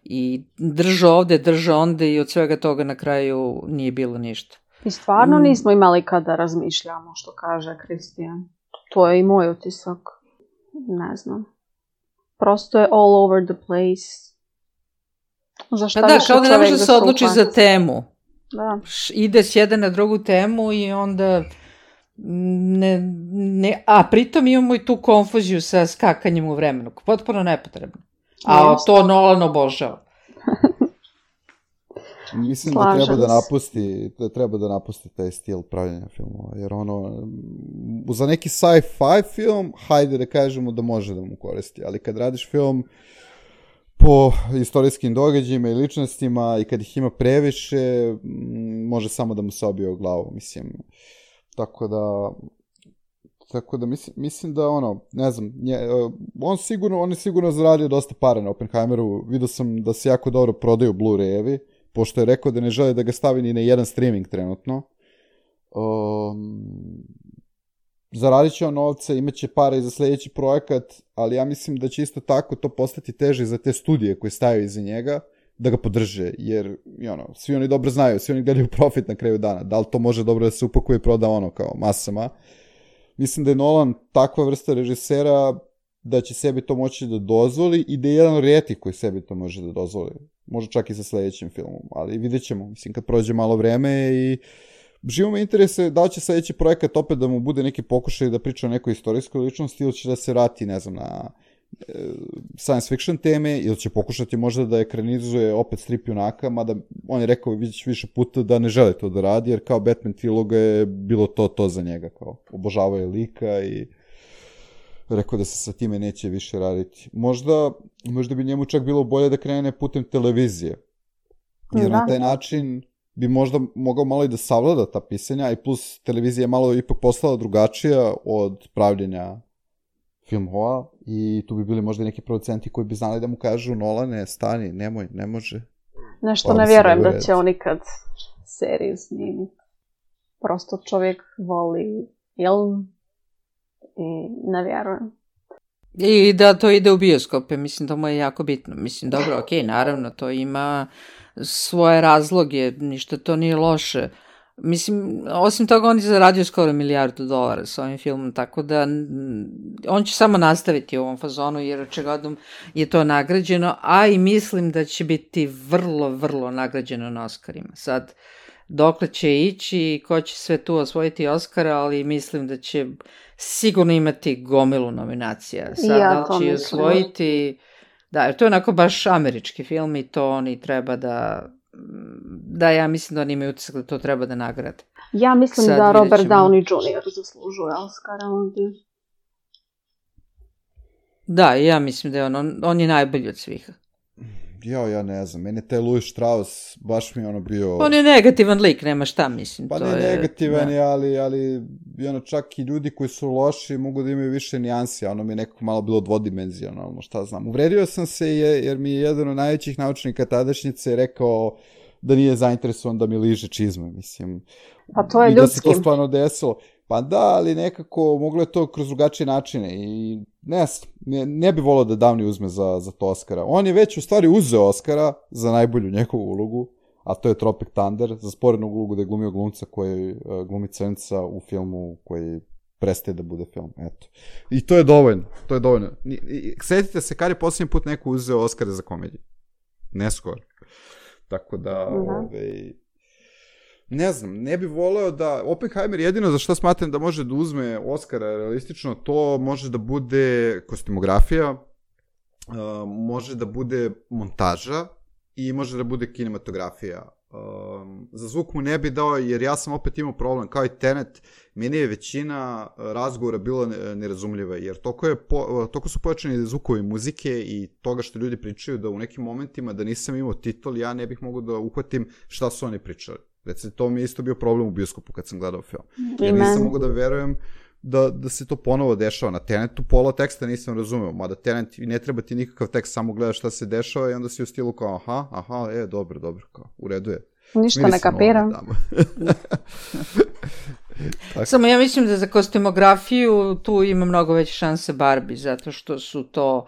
i drža ovde, drža onde i od svega toga na kraju nije bilo ništa. I stvarno nismo imali kada razmišljamo, što kaže Kristijan. To je i moj utisak. Ne znam. Prosto je all over the place. Pa da, kao da ne može da se odluči za temu. Da. Ide s jedne na drugu temu i onda a pritom imamo i tu konfuziju sa skakanjem u vremenu. Potpuno nepotrebno. A Jeste. to Nolan obožava. Mislim Slažem da treba da napusti taj stil pravljenja filmova, jer za neki sci-fi film, hajde da kažemo da može da mu koristi, ali kad radiš film po istorijskim događajima i ličnostima i kad ih ima previše, može samo da mu se obije u glavu, mislim. Tako da mislim da ne znam, on je sigurno zaradio dosta para na Oppenheimeru, vidio sam da se jako dobro prodaju Blu-rayevi, pošto je rekao da ne želi da ga stavi ni na jedan streaming trenutno. Zaradit će on novca, imaće para i za sljedeći projekat, ali ja mislim da će isto tako to postati teže za te studije koje staju iza njega, da ga podrže, jer svi oni dobro znaju, svi oni gledaju profit na kraju dana, da li to može dobro da se upakuje i proda kao masama. Mislim da je Nolan takva vrsta režisera da će sebi to moći da dozvoli i da je jedan od rijetkih koji sebi to može da dozvoli. Možda čak i sa sljedećim filmom, ali vidjet ćemo, mislim, kad prođe malo vreme i živo me interese da li će sljedeći projekat opet da mu bude neki pokušaj da priča o nekoj istorijskoj ličnosti ili će da se vrati, ne znam, na science fiction teme ili će pokušati možda da ekranizuje opet strip junaka, mada on je rekao više puta da ne želi to da radi, jer kao Batman triloga je bilo to za njega, kao obožavao je lika i rekao da se sa time neće više raditi. Možda bi njemu čak bilo bolje da krene putem televizije, jer na taj način bi možda mogao malo i da savlada ta pisanja, i plus televizija je malo ipak postala drugačija od pravljenja filmova i tu bi bili možda neki producenti koji bi znali da mu kažu Nolane, stani, nemoj, ne može. Nešto ne vjerujem da će on ikad seriju snimiti. Prosto čovjek voli film i ne vjerujem. I da to ide u bioskope, mislim da mu je jako bitno. Mislim, dobro, okej, naravno, to ima svoje razloge, ništa to nije loše. Mislim, osim toga on je zaradio skoro $1 milijardu s ovim filmom, tako da on će samo nastaviti u ovom fazonu, jer očigledno je to nagrađeno, a i mislim da će biti vrlo, vrlo nagrađeno na Oscarima. Sad, dokle će ići i ko će sve tu osvojiti Oscara, ali mislim da će sigurno imati gomilu nominacija. Sad, ja da li će osvojiti... Da, jer to je onako baš američki film i to oni treba da ja mislim da oni imaju utisak da to treba da nagrade. Ja mislim da Robert Downey Jr. zaslužuje Oscara ovdje. Da, ja mislim da je on je najbolji od svih. Ja ne znam, meni taj Louis Strauss baš mi je bio... On je negativan lik, nema šta, mislim. Pa ne negativan je, ali čak i ljudi koji su loši mogu da imaju više nijansi, mi je nekako malo bilo dvodimenzionalno, šta znam. Uvredio sam se jer mi je jedan od najvećih naučnika tadašnjice rekao da nije zainteresovan da mi liže čizme, mislim. Pa to je ljudski. I da se to stvarno desilo. Pa da, ali nekako moglo je to kroz drugačije načine i ne bi volio da Downey uzme za to Oscara. On je već u stvari uzeo Oscara za najbolju njegovu ulogu, a to je Tropic Thunder, za sporednu ulogu da je glumio glumca koji glumi crnca u filmu koji prestaje da bude film. Eto. I to je dovoljno. Sjetite se kad je posljednji put neko uzeo Oscara za komediju. Ne skoro. Tako da... Ne znam, ne bi voleo da... Oppenheimer jedino za što smatram da može da uzme Oscara realistično, to može da bude kostimografija, može da bude montaža i može da bude kinematografija. Za zvuk mu ne bi dao, jer ja sam opet imao problem, kao i Tenet, meni je većina razgovora bila nerazumljiva, jer toliko su pojačani zvukovi muzike i toga što ljudi pričaju da u nekim momentima da nisam imao titol, ja ne bih mogao da uhvatim šta su oni pričali. Recimo, to mi je isto bio problem u bioskopu kad sam gledao film. Jer nisam mogao da verujem da se to ponovo dešava. Na Tenetu pola teksta nisam razumeo, mada Tenet ne treba ti nikakav tekst, samo gledaš šta se dešava i onda si u stilu kao dobro, kao, u redu je. Ništa ne kapiram. Samo ja mislim da za kostimografiju tu ima mnogo veće šanse Barbie, zato što su to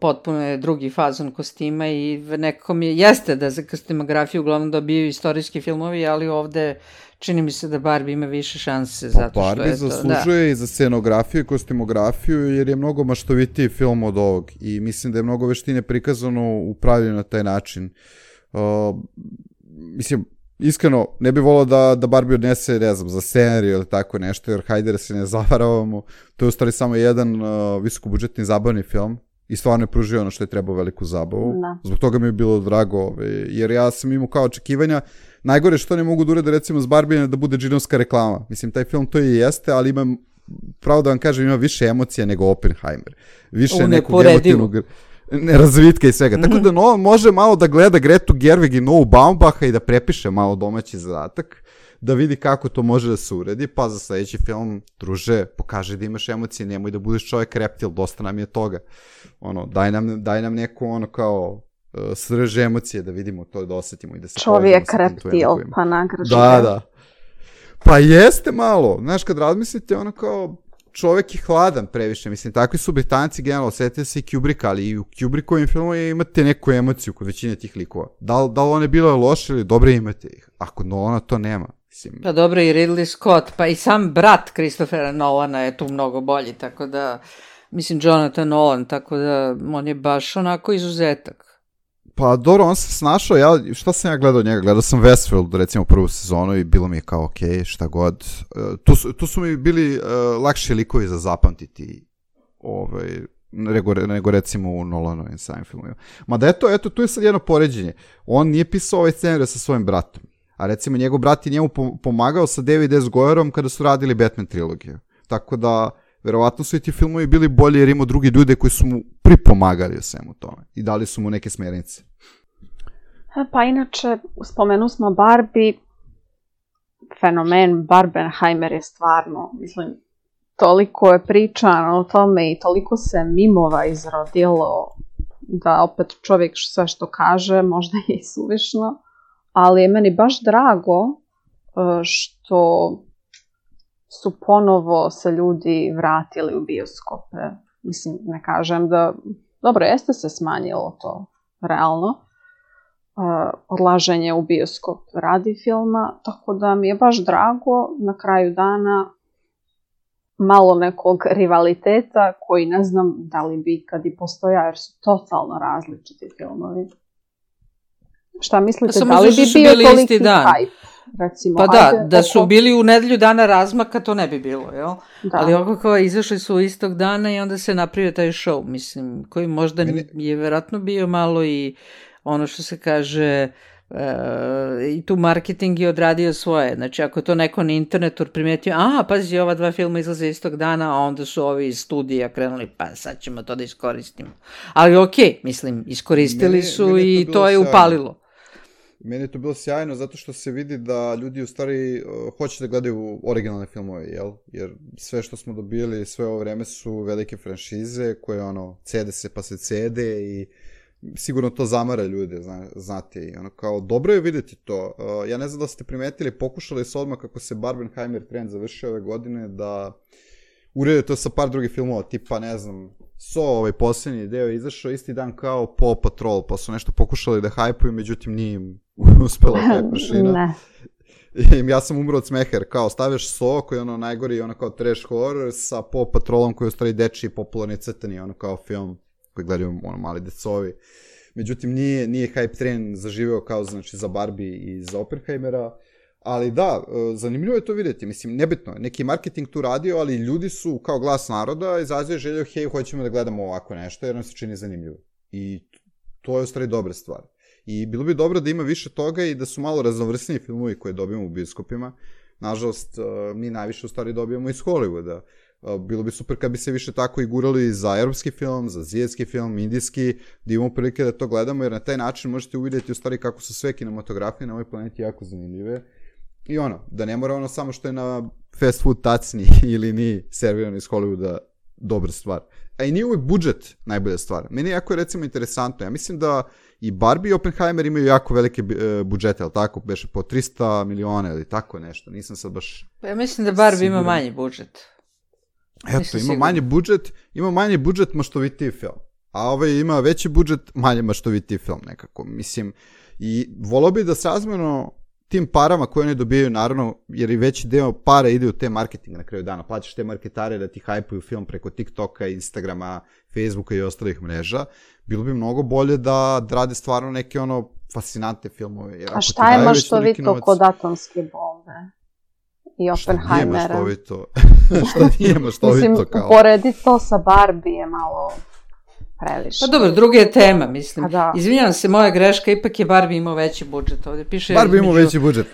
potpuno je drugi fazon kostima i nekako mi jeste da za kostimografiju uglavnom dobiju istorijski filmovi, ali ovde čini mi se da Barbie ima više šanse zato što Barbie je to... zaslužuje i za scenografiju i kostimografiju jer je mnogo maštovitiji film od ovog i mislim da je mnogo veštine prikazano u pravljenju na taj način. Mislim, iskreno, ne bi volao da Barbie odnese, ne znam, za scenariju ili tako nešto, jer hajde da se ne zavaravamo. To je u stvari samo jedan visokobudžetni zabavni film. i stvarno je pružio ono što je trebao veliku zabavu. Da. Zbog toga mi je bilo drago, jer ja sam imao kao očekivanja. Najgore što ne mogu da urade recimo s Barbie da bude džinovska reklama. Mislim, taj film to i jeste, ali ima, pravo da vam kažem, ima više emocija nego Oppenheimer. Više nekog emotivnog razvitka i svega. Tako da Nolan može malo da gleda Gretu Gerwig i Noah Baumbacha i da prepiše malo domaći zadatak, da vidi kako to može da se uredi, pa za sledeći film, druže, pokaži da imaš emocije, nemoj da budeš čovjek reptil, dosta nam je toga. Ono, daj nam neku ono kao srž emocije da vidimo to, da osetimo i da se čovjek reptil, pa nagrađuje. Da. Pa jeste malo, znaš, kad razmislite, ono kao čovjek je hladan previše, mislim, takvi su Britanci generalno, osjetite se i Kubricka, ali i u Kubrickovim filmovima imate neku emociju kod većine tih likova. Da li one bile loše ili dobre, imate ih, a kod Nolana to nema. Mislim. Pa dobro, i Ridley Scott, pa i sam brat Christophera Nolana je tu mnogo bolji, tako da, mislim, Jonathan Nolan, tako da on je baš onako izuzetak. Pa dobro, on se snašao, šta sam ja gledao od njega? Gledao sam Westworld, recimo prvu sezonu i bilo mi je kao okej, šta god. Tu su mi bili lakši likovi za zapamtiti nego recimo u Nolanovim samim filmovima. Mada eto, tu je sad jedno poređenje. On nije pisao ovaj scenarij sa svojim bratom, a recimo njegov brat je njemu pomagao sa David S. Goyerom kada su radili Batman trilogiju. Tako da verovatno su i ti filmovi bili bolji jer imao drugi ljude koji su mu pripomagali o svemu tome i dali su mu neke smjernice. Pa inače, spomenu smo Barbie, fenomen Barbenheimer je stvarno, mislim, toliko je pričano o tome i toliko se mimova izrodilo da opet čovjek sve što kaže možda je i suvišno, ali je meni baš drago što su ponovo se ljudi vratili u bioskope. Mislim, ne kažem da... Dobro, jeste se smanjilo to, realno. Odlaženje u bioskop radi filma, tako da mi je baš drago na kraju dana malo nekog rivaliteta koji ne znam da li bi ikad i postoja, jer su totalno različiti filmovi. Šta mislite, da li bi bio toliki hype? Recimo, pa da su bili u nedelju dana razmaka, to ne bi bilo, jel? Da. Ali ovako izašli su istog dana i onda se napravio taj show, mislim, koji možda je verovatno bio malo i ono što se kaže, i tu marketing je odradio svoje. Znači, ako to neko na internetu primetio, pazi, ova dva filma izlaze istog dana, a onda su ovi iz studija krenuli, pa sad ćemo to da iskoristimo. Ali okej, mislim, iskoristili su i to je upalilo. Meni je to bilo sjajno zato što se vidi da ljudi u stvari hoće da gledaju originalne filmove, jel? Jer sve što smo dobili sve ovo vreme su velike franšize koje cede se pa se cede i sigurno to zamara ljude, znate, i kao dobro je vidjeti to. Ja ne znam da ste primetili, pokušali su odmah kako se Barbenheimer trend završio ove godine da urede to sa par drugih filmova, tipa, ne znam, ovaj posljednji deo je izašao isti dan kao Paw Patrol, pa su nešto pokušali da hajpuju, međutim nije im uspela taj prašina. Ja sam umro od smeha, kao staviš So, koji je najgori, kao trash horror, sa Paw Patrolom koji je u stvari dečiji popularni crtani, kao film koji gledaju mali decovi. Međutim, nije hype train zaživeo kao znači za Barbie i za Oppenheimera, ali da, zanimljivo je to vidjeti, mislim, nebitno, neki marketing tu radio, ali ljudi su kao glas naroda izrazili želju, hej, hoćemo da gledamo ovako nešto, jer nam se čini zanimljivo. I to je u stvari dobra stvar. I bilo bi dobro da ima više toga i da su malo raznovrsniji filmovi koje dobijemo u bioskopima. Nažalost, mi najviše u stvari dobijamo iz Hollywooda. Bilo bi super kad bi se više tako i gurali za europski film, za azijski film, indijski, da imamo prilike da to gledamo, jer na taj način možete uvidjeti u stvari kako su sve kinematografije na ovoj planeti jako zanimljive. I da ne mora samo što je na fast food tacni ili ni servirano iz Hollywooda dobra stvar. A i nije uvijek budžet najbolja stvar. Meni jako je recimo interesantno. Ja mislim da i Barbie i Oppenheimer imaju jako velike budžete, ali tako, beše po 300 miliona ili tako nešto. Nisam sad baš... Pa ja mislim da Barbie ima manji budžet. Eto, ima manji budžet maštovitiji film. A ovaj ima veći budžet, manje maštovitiji film nekako. Mislim, i volao bi da srazmjerno tim parama koje oni dobijaju, naravno, jer i veći deo para ide u te marketinga na kraju dana. Plaćaš te marketare da ti hajpuju film preko TikToka, Instagrama, Facebooka i ostalih mreža. Bilo bi mnogo bolje da rade stvarno neke fascinantne filmove. A šta je maštovito kod atomske bombe? I Oppenheimera. Šta nije maštovito kao? Mislim, uporedi to sa Barbie je malo previše. Pa dobro, druga je tema, mislim. Pa da. Izvinjavam se, moja greška, ipak je Barbie imao veći budžet. Ovdje piše Barbie imao veći budžet.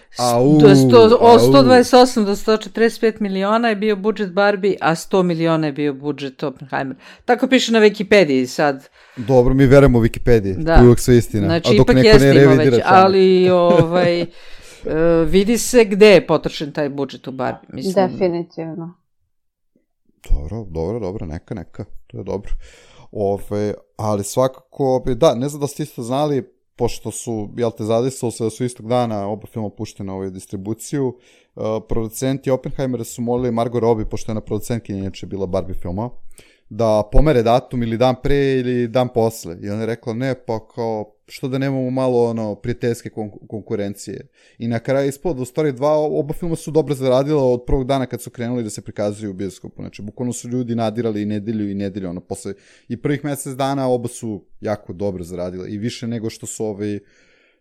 Od 128 do 145 miliona je bio budžet Barbie, a 100 miliona je bio budžet Oppenheimer. Tako piše na Wikipediji sad. Dobro, mi verujemo Wikipediji. Da. To je uvijek sve istina. Znači, a dok ipak neko jeste ne imao revidira već, ali vidi se gde je potrošen taj budžet u Barbie. Mislim. Definitivno. Dobro, neka, to je dobro. Ali svakako, da, ne znam da ste isto znali, pošto su, zadesilo se da su istog dana oba filma puštene u distribuciju, producenti Oppenheimera su molili Margot Robbie, pošto je ona producentkinja inače bila Barbie filma, da pomere datum ili dan pre ili dan posle. I ona je rekla, ne, pa kao, što da nemamo malo prijateljske konkurencije. I na kraju ispod, u stvari oba filma su dobro zaradila od prvog dana kad su krenuli da se prikazuju u bioskopu. Znači, bukvalno su ljudi nadirali i nedelju, posle i prvih mesec dana oba su jako dobro zaradila i više nego što su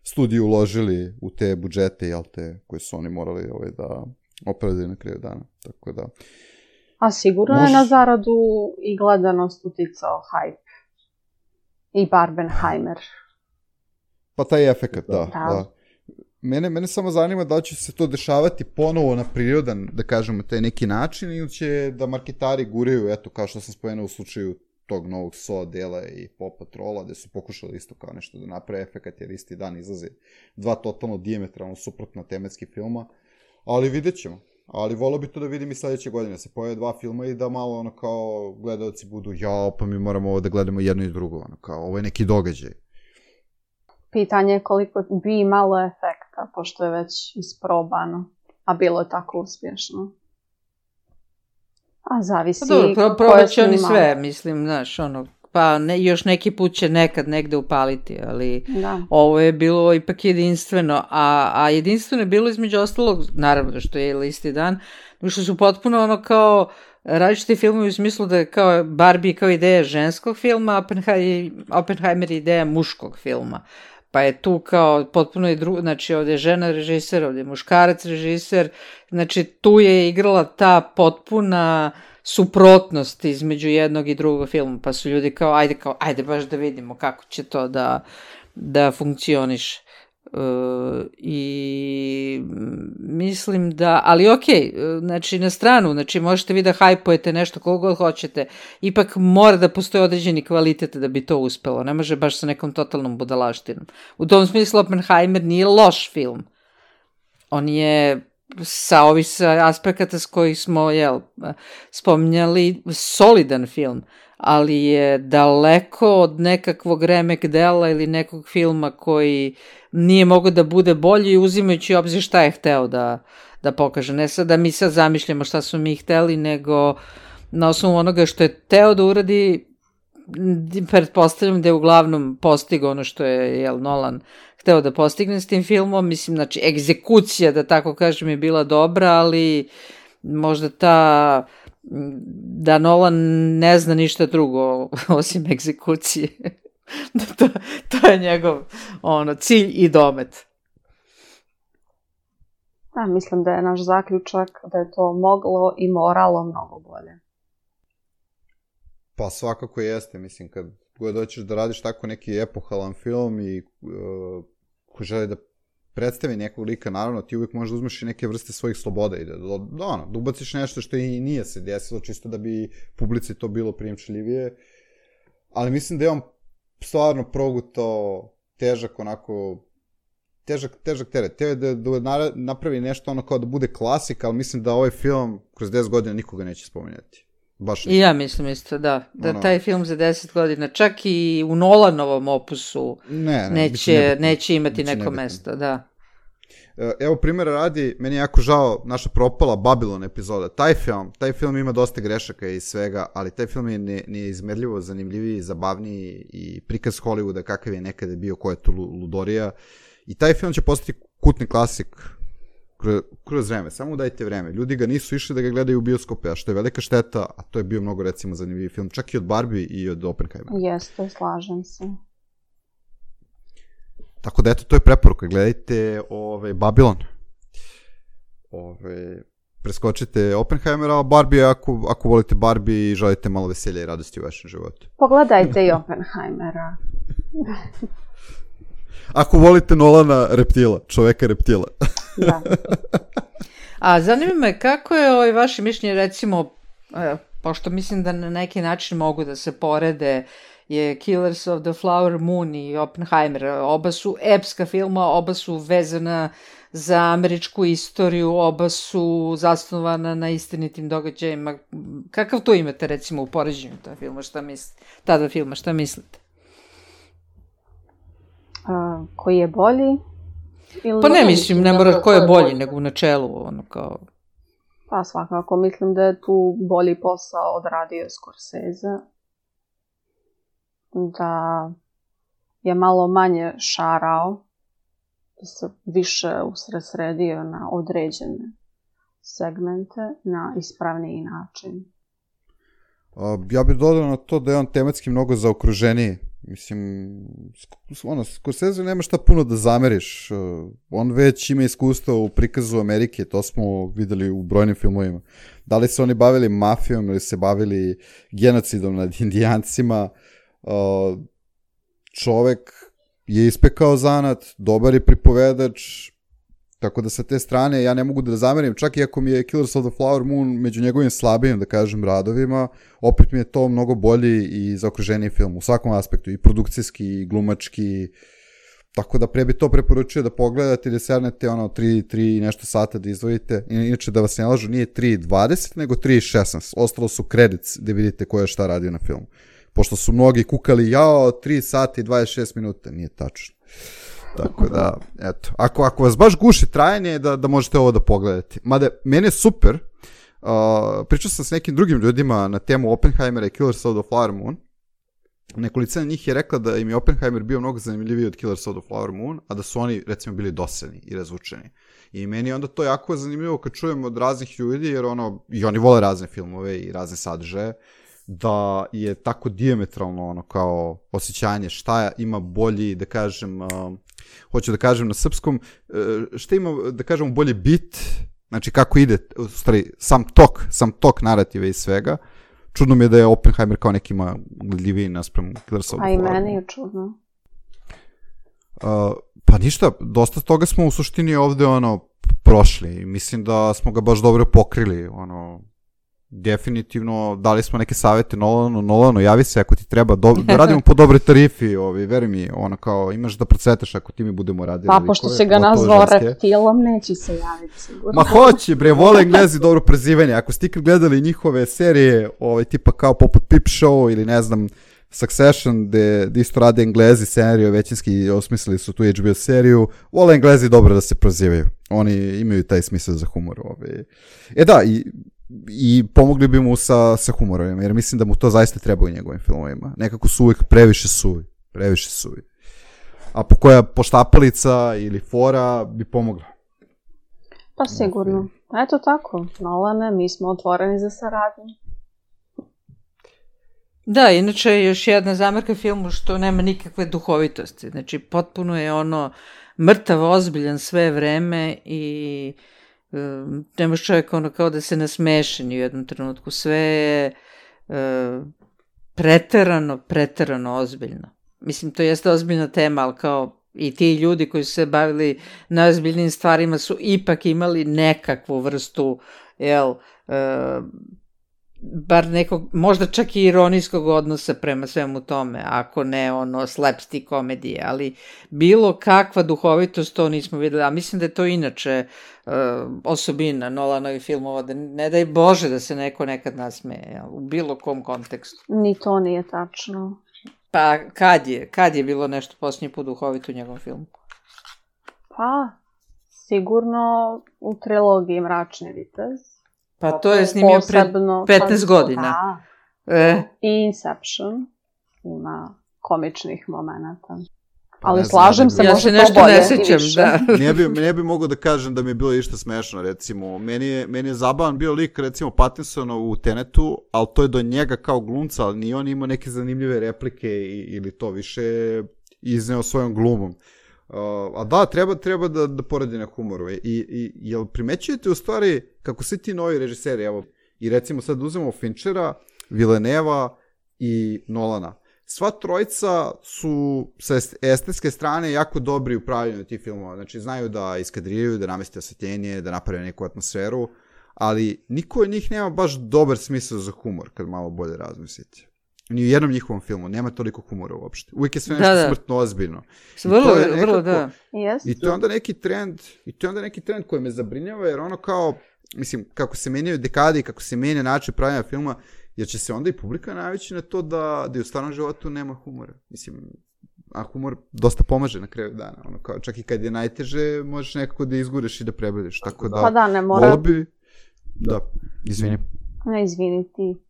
studiji uložili u te budžete, koje su oni morali da opravdaju na kraju dana. Tako da... A sigurno je na zaradu i gledanost uticao hype. I Barbenheimer. Pa taj efekat, da. Mene samo zanima da li će se to dešavati ponovo na prirodan, da kažemo, taj neki način, ili će da marketari guraju, eto, kao što sam spomenuo u slučaju tog novog SO dela i Paw Patrola, gde su pokušali isto kao nešto da naprave efekat, jer isti dan izlaze dva totalno dijametralno suprotna tematski filma, ali vidjet ćemo. Ali volio bi to da vidim i sledeće godine, se pojave dva filma i da malo kao gledalci budu, pa mi moramo ovo da gledamo jedno i drugo, kao ovo je neki događaj. Pitanje je koliko bi imalo efekta, pošto je već isprobano, a bilo je tako uspješno. A zavisi probat će oni sve, mislim, znaš, pa još neki put će nekad negde upaliti, ali ovo je bilo ipak jedinstveno, a jedinstveno je bilo između ostalog, naravno što je isti dan, što su potpuno kao različiti filmovi u smislu da je kao Barbie kao ideja ženskog filma, Oppenheimer je ideja muškog filma. Pa je tu kao potpuno i drugo, znači ovdje je žena režiser, ovdje je muškarac režiser, znači tu je igrala ta potpuna suprotnost između jednog i drugog filma, pa su ljudi kao ajde baš da vidimo kako će to da funkcioniše. I mislim da, ali okej, znači na stranu, znači možete vi da hajpujete nešto koliko god hoćete, ipak mora da postoji određeni kvalitet da bi to uspelo, ne može baš sa nekom totalnom budalaštinom. U tom smislu Oppenheimer nije loš film, on je sa ovih aspekata s kojih smo spominjali solidan film, ali je daleko od nekakvog remek dela ili nekog filma koji nije mogao da bude bolji, uzimajući obzir šta je hteo da pokaže. Ne sad da mi sad zamišljamo šta su mi hteli, nego na osnovu onoga što je hteo da uradi, pretpostavljam da je uglavnom postigao ono što je Nolan hteo da postigne s tim filmom. Mislim, znači, egzekucija, da tako kažem, je bila dobra, ali možda da Nolan ne zna ništa drugo osim egzekucije. To je njegov cilj i domet. Da, mislim da je naš zaključak da je to moglo i moralo mnogo bolje. Pa svakako jeste, mislim, kad god hoćeš da radiš tako neki epohalan film i ko želi da predstavi nekog lika, naravno ti uvijek možeš da uzmeš i neke vrste svojih sloboda i da ubaciš nešto što i nije se desilo, čisto da bi publici to bilo prijemčljivije, ali mislim da je on stvarno progutao težak teret. Teo je da napravi nešto kao da bude klasik, ali mislim da ovaj film kroz 10 godina nikoga neće spominjati. I ja mislim isto, da taj film za 10 godina, čak i u Nolanovom opusu neće imati neko mesto, da. Evo primjera radi, meni je jako žao naša propala Babylon epizoda. Taj film ima dosta grešaka i svega, ali taj film je neizmerljivo zanimljiviji, zabavniji i prikaz Hollywooda kakav je nekada bio, koja je tu ludorija. I taj film će postati kultni klasik kroz vreme, samo dajte vreme. Ljudi ga nisu išli da ga gledaju u bioskope, a što je velika šteta, a to je bio mnogo recimo zanimljiviji film, čak i od Barbie i od Oppenheimera. Jeste, slažem se. Tako da eto, to je preporuka, gledajte Babylon. preskočite Oppenheimera, a Barbie ako volite Barbie i želite malo veselja i radosti u vašem životu. Pogledajte i Oppenheimera. Ako volite Nolana reptila, čoveka reptila. Da. A zanima me kako je vaše mišljenje, recimo, pošto mislim da na neki način mogu da se porede, je Killers of the Flower Moon i Oppenheimer. Oba su epska filma, oba su vezana za američku istoriju, oba su zasnovana na istinitim događajima. Kakav to imate, recimo, u poređenju tada filma, šta mislite? Koji je bolji? Pa ne mislim, ne mora ko je bolji, nego u načelu, ono kao... Pa svakako, mislim da je tu bolji posao odradio Scorsese. Da je malo manje šarao, da se više usredsredio na određene segmente na ispravniji način. Ja bih dodao na to da je on tematski mnogo zaokruženiji. Mislim, Scorsese nema šta puno da zameriš. On već ima iskustva u prikazu Amerike, to smo videli u brojnim filmovima. Da li se oni bavili mafijom ili se bavili genocidom nad Indijancima, čovek je ispekao zanat, dobar je pripovedač, tako da sa te strane ja ne mogu da zamerim, čak i ako mi je Killers of the Flower Moon među njegovim slabijim, da kažem, radovima, opet mi je to mnogo bolji i zaokruženiji film u svakom aspektu, i produkcijski, i glumački, tako da pre bi to preporučio da pogledate i da sernete 3 i nešto sata da izdvojite. Inače, da vas ne lažu, nije 3:20, nego 3:16. Ostalo su credits da vidite ko je šta radio na filmu. Pošto su mnogi kukali, 3 sata i 26 minuta, nije tačno. Tako da, eto, ako vas baš guši trajanje, da možete ovo da pogledate. Mada, meni je super, pričao sam s nekim drugim ljudima na temu Oppenheimera i Killers of the Flower Moon. Nekolicina njih je rekla da im je Oppenheimer bio mnogo zanimljiviji od Killers of the Flower Moon, a da su oni, recimo, bili dosadni i razvučeni. I meni je onda to jako zanimljivo kad čujem od raznih ljudi, jer i oni vole razne filmove i razne sadržaje, da je tako dijametralno kao osjećanje šta ima bolji, da kažem, hoću da kažem na srpskom, šta ima, da kažem, bolji bit, znači kako ide, u stvari, sam tok narative i svega. Čudno mi je da je Oppenheimer kao nekima gledljiviji naspram Killers of the Flower Moon. A i meni je čudno. Pa ništa, dosta toga smo u suštini ovde prošli. Mislim da smo ga baš dobro pokrili, definitivno dali smo neke savete Nolanu, javi se ako ti treba, da radimo po dobroj tarifi, veri mi, kao imaš da procvetaš ako ti mi budemo radili. Pa pošto si ga nazvao reptilom, neće se javiti sigurno. Ma hoće, bre, vole Englezi dobro prezivanje. Ako ste ikad gledali njihove serije, tipa kao poput Peep Show ili ne znam, Succession, gde isto rade Englezi seriju, većinski osmislili su tu HBO seriju, vole Englezi dobro da se prozivaju. Oni imaju taj smisao za humor. Da, i pomogli bi mu sa humorom, jer mislim da mu to zaista treba u njegovim filmovima. Nekako su uvijek previše suvi. A koja poštapalica ili fora bi pomogla? Pa sigurno. Eto tako, Nolane, mi smo otvoreni za saradnju. Da, inače još jedna zamerka filmu što nema nikakve duhovitosti. Znači, potpuno je mrtav, ozbiljan sve vreme i nemaš čovjek kao da se nasmeši ni u jednom trenutku. Sve je preterano ozbiljno. Mislim, to jeste ozbiljna tema, ali kao i ti ljudi koji su se bavili najozbiljnijim stvarima su ipak imali nekakvu vrstu, bar nekog, možda čak i ironijskog odnosa prema svemu tome, ako ne slapstick komedije, ali bilo kakva duhovitost to nismo videli, a mislim da je to inače osobina Nolanovih filmova, da ne daj Bože da se neko nekad nasmeje, u bilo kom kontekstu. Ni to nije tačno. Pa kad je bilo nešto posljednji put duhovito u njegovom filmu? Pa, sigurno u trilogiji Mračni vitez. Pa to je snimio pred 15 godina. I Inception ima komičnih momenata. Ali slažem se, ja se nešto ne sećam, da. Ne bi mogao da kažem da mi je bilo išta smešno, recimo. Meni je zabavan bio lik, recimo, Pattinsona u Tenetu, ali to je do njega kao glumca, ali ni on imao neke zanimljive replike ili to više izneo svojom glumom. A da, treba da poradi na humoru. I jel primećujete u stvari kako svi ti novi režiseri, evo, i recimo sad uzmemo Finchera, Villeneva i Nolana. Sva trojica su sa estetske strane jako dobri u pravljenju tih filmova. Znači, znaju da iskadriraju, da nameste osvetljenje, da naprave neku atmosferu, ali niko od njih nema baš dobar smisao za humor, kad malo bolje razmislite. Ni u jednom njihovom filmu nema toliko humora uopšte. Uvijek je sve nešto smrtno ozbiljno. Vrlo, da. Yes. I to je onda neki trend koji me zabrinjava, jer ono kao, mislim, kako se menjaju dekade i kako se menja način pravljanja filma, jer će se onda i publika navići na to da u stvarnom životu nema humora. Mislim, a humor dosta pomaže na kraju dana. Ono kao, čak i kad je najteže, možeš nekako da izgureš i da prebrodiš. Tako da, pa da, ne mora... Da, izvini. Ne, izvini ti.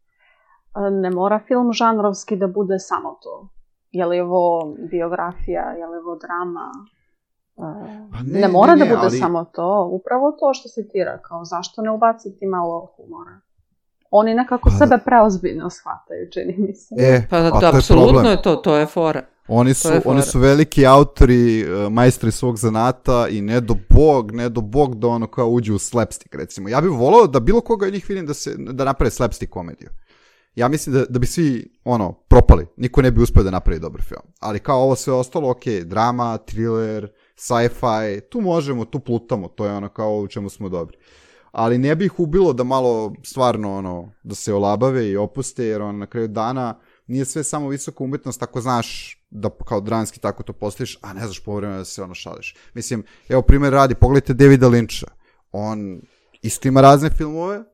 Ne mora film žanrovski da bude samo to. Je li ovo biografija, je li ovo drama? Ne mora da bude samo to. Upravo to što si ti rekao. Zašto ne ubaciti malo humora? Oni nekako sebe preozbiljno shvataju, čini mi se. Apsolutno je to je fora. Oni su veliki autori, majstori svog zanata i ne do bog da ono kao uđu u slapstick, recimo. Ja bih volao da bilo koga od njih vidim da naprave slapstick komediju. Ja mislim da bi svi, propali. Niko ne bi uspio da napravi dobar film. Ali kao ovo sve ostalo, ok, drama, thriller, sci-fi, tu možemo, tu plutamo, to je ono kao u čemu smo dobri. Ali ne bi ih ubilo da malo stvarno, da se olabave i opuste, jer na kraju dana nije sve samo visoka umetnost, ako znaš da kao dramski tako to postaviš, a ne znaš povremeno da se šališ. Mislim, evo primjer radi, pogledajte Davida Lyncha. On isto ima razne filmove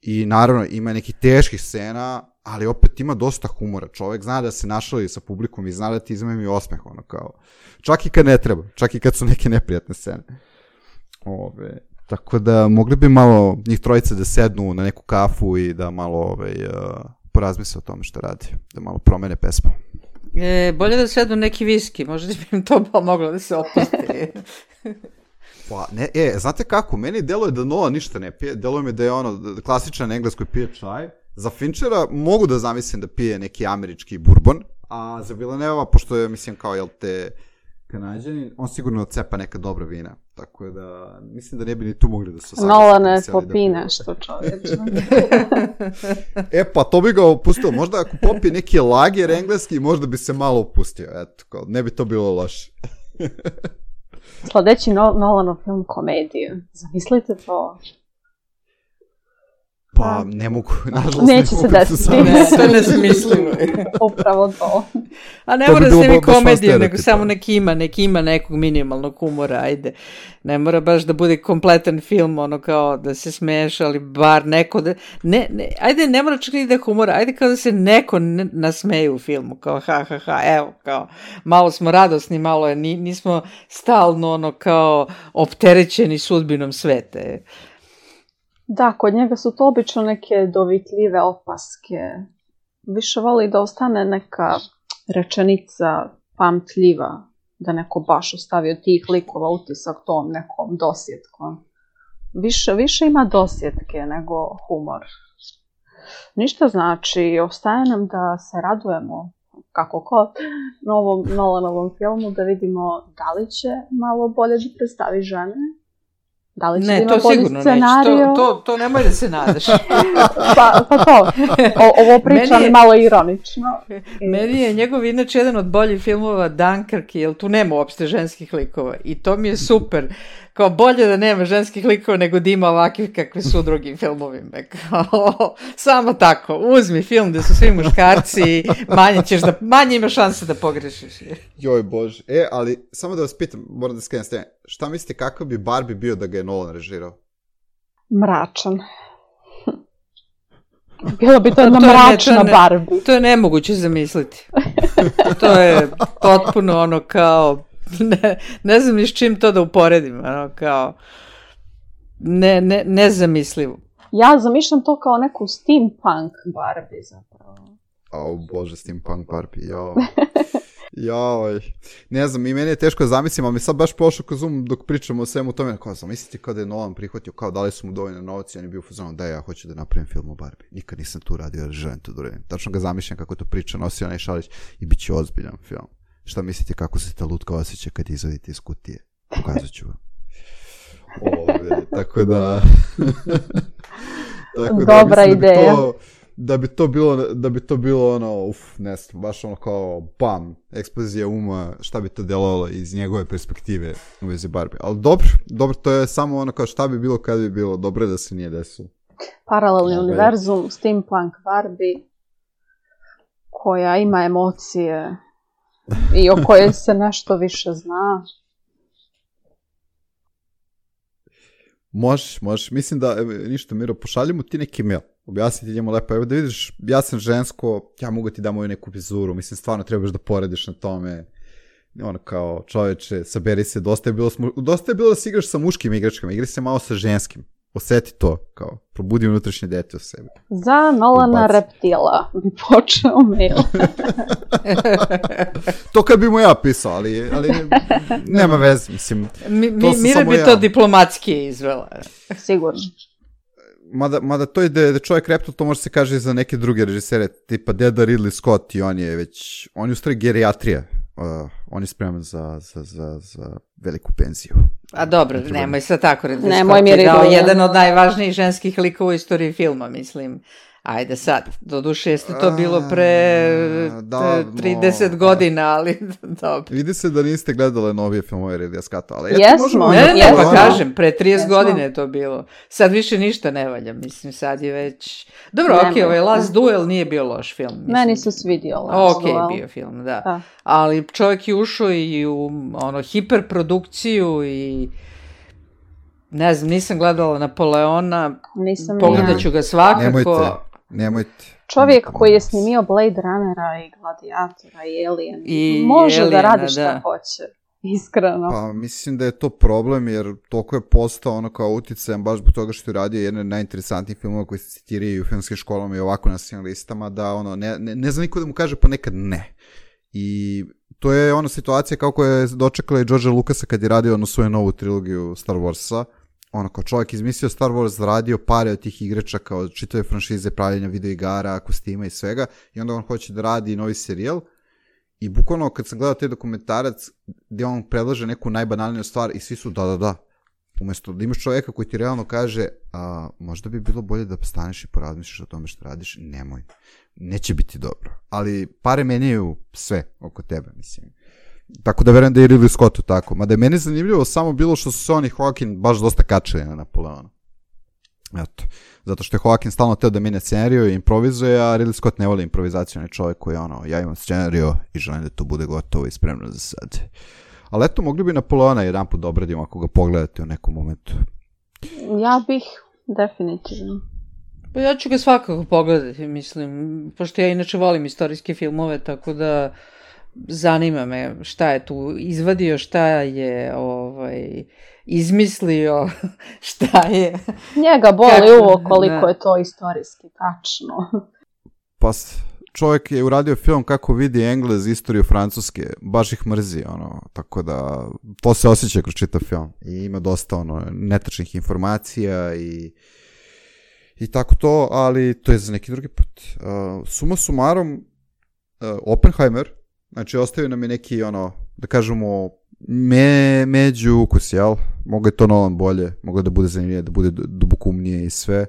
i naravno ima nekih teških scena, ali opet ima dosta humora. Čovjek zna da se našali sa publikom i zna da ti izmemi osmeh, kao. Čak i kad ne treba, čak i kad su neke neprijatne scene. Tako da mogli bi malo njih trojice da sednu na neku kafu i da malo porazmisle o tome što radi, da malo promene pesmu. Bolje da sednu neki viski, možda bi im to pomoglo da se opusti. Pa, znate kako, meni deluje da Nolan ništa ne pije, deluje mi da je klasičan engleskoj pije čaj. Za Finchera mogu da zamislim da pije neki američki bourbon, a za Villeneva, pošto je, mislim, kao, Kanadjanin, on sigurno cepa neka dobra vina, tako da mislim da ne bi ni tu mogli da se osaglasiti. Nolane popi nešto, čovječe. Pa to bi ga opustilo, možda ako popije neki lager engleski, možda bi se malo opustio, eto, ne bi to bilo loše. Sljedeći Nolanov film komediju, zamislite to. Pa ne mogu, nažalost neće se desiti. To je nezamislivo. Upravo to. A ne mora se mi komediju, nego samo neki ima nekog minimalnog humora, ajde. Ne mora baš da bude kompletan film, kao da se smeješ, ali bar neko da... Ajde, ne mora čak ni da humora, ajde kao da se neko nasmeje u filmu, kao evo, kao malo smo radosni, malo je, nismo stalno kao opterećeni sudbinom sveta. Da, kod njega su to obično neke dovitljive opaske. Više voli da ostane neka rečenica pamtljiva, da neko baš ostavio tih likova utisak tom nekom dosjetkom. Više ima dosjetke nego humor. Ništa znači, ostaje nam da se radujemo Nolanovom filmu, da vidimo da li će malo bolje da predstavi žene. Da li će ima bolji scenariju? To nemoj da se nadaš. pa to, ovo pričam malo ironično. Meni je njegov inače jedan od boljih filmova Dunkirk, jer tu nema uopšte ženskih likova i to mi je super. Kao bolje da nema ženskih likova nego da ima ovakvih kakve su u drugim filmovima. Samo tako, uzmi film gde su svi muškarci, manje ima šanse da pogrešiš. Joj bože, ali samo da vas pitam, moram da skrenem s teme, šta mislite kakav bi Barbie bio da ga je Nolan režirao? Mračan. Bilo bi to jedna mračna Barbie. To je nemoguće zamisliti. To je potpuno kao... Ne znam ni s čim to da uporedim, kao nezamislivo. Ja zamišljam to kao neku steampunk Barbie zapravo. Bože, steampunk Barbie, joj. Ne znam, i meni je teško da zamislim, ali mi sad baš prošao kroz dok pričamo o svemu tome, kao zamisliti kada je Nolan prihvatio, kao da li su mu dovoljno novci, on je bio u fazonu da ja hoću da napravim film o Barbie. Nikad nisam tu radio, ali želim to da uradim. Tačno ga zamišljam kako to priča, nosio onaj šalić i bit će ozbiljan film. Šta mislite kako se ta lutka osjeća kad izvadite iz kutije? Pokazat ću vam. Tako da... Dobra ideja. Da bi to bilo ono, ne znam, baš ono kao bam, eksplozija uma, šta bi to djelovalo iz njegove perspektive u vezi Barbie. Ali dobro, to je samo ono kao šta bi bilo kad bi bilo, dobro je da se nije desilo. Paralelni univerzum, steampunk Barbie, koja ima emocije i o kojoj se nešto više zna. Možeš. Mislim da, ništa Miro, pošalji mu ti neki mail. Objasniti njemu lepo, evo da vidiš, ja sam žensko, ja mogu ti da moju neku vizuru, mislim, stvarno trebaš da poradiš na tome, ono kao, čoveče, saberi se, dosta je bilo da si igraš sa muškim igračkama, igri se malo sa ženskim, osjeti to, kao, probudi unutrašnje dete u sebi. Za Nolana Reptila bi počeo mail. To kad bi mu ja pisao, ali nema veze, mislim. Mira bi to diplomatski izvela. Sigurno. Mada to je da čovjek Reptil, to može se kaže i za neke druge režisere, tipa deda Ridley Scott i on je u stvari gerijatrija. On je spreman za veliku penziju. A dobro, nemoj sad tako Ridley Nemoj Scott je dao Ridley. jedan od najvažnijih ženskih likova u istoriji filma, mislim. Ajde sad, doduše jeste to bilo pre 30 godina, ali dobro. Vidi se da niste gledali novije filmove Ridleya Scotta, ali Jesmo. Ne, pa kažem, pre 30 godina je to bilo. Sad više ništa ne valja, mislim, sad je već... Dobro, okej, ovaj Last Duel nije bio loš film. Mislim. Meni se svidio Last Duel. Okej, bio film, da. Ali čovjek je ušao i u hiperprodukciju i... Ne znam, nisam gledala Napoleona, pogledat ću ga svakako. Nemojte. Čovjek koji je snimio Blade Runnera i Gladiatora i Alien, može da radi šta hoće, iskreno. Pa mislim da je to problem jer toliko je postao ono kao uticajan baš zbog toga što je radio jedan od najinteresantnijih filmova koji se citiraju u filmskim školama i ovako na svim listama, da ono, ne zna niko da mu kaže ponekad ne. I to je ona situacija kako je dočekala i Georgea Lucasa kad je radio ono svoju novu trilogiju Star Warsa. Ono kao čovjek izmislio Star Wars, zaradio pare od tih igračaka, od čitave franšize, pravljenja videoigara, kostima i svega, i onda on hoće da radi novi serijal. I bukvalno kad sam gledao taj dokumentarac gdje on predlaže neku najbanalniju stvar i svi su da. Umjesto da imaš čovjeka koji ti realno kaže možda bi bilo bolje da staneš i porazmišljaš o tome što radiš, nemoj. Neće biti dobro. Ali pare menjaju sve oko tebe, mislim. Tako da verujem da je Ridley Scottu tako. Mada je meni zanimljivo samo bilo što su se on i Joaquin baš dosta kačili na Napoleona. Eto. Zato što je Joaquin stalno teo da menja scenariju i improvizuje, a Ridley Scott ne voli improvizaciju. On je čovjek koji je ono, ja imam scenariju i želim da to bude gotovo i spremno za sad. Ali eto, mogli bi Napoleona jedan put da obradimo ako ga pogledate u nekom momentu. Ja bih, definitivno. Pa ja ću ga svakako pogledati, mislim, pošto ja inače volim istorijske filmove, tako da zanima me šta je tu izvadio, šta je izmislio, šta je... Njega boli uvo koliko je to istorijski, tačno. Pa čovjek je uradio film kako vidi Englez istoriju Francuske, baš ih mrzi, ono, tako da to se osjeća kroz čitav film i ima dosta ono netačnih informacija i tako to, ali to je za neki drugi put. Suma sumarom, Oppenheimer, znači ostavio nam je neki ono, da kažemo, među ukus, jel? Mogu je to Nolan bolje, mogu da bude zanimljivije, da bude dubokumnije i sve.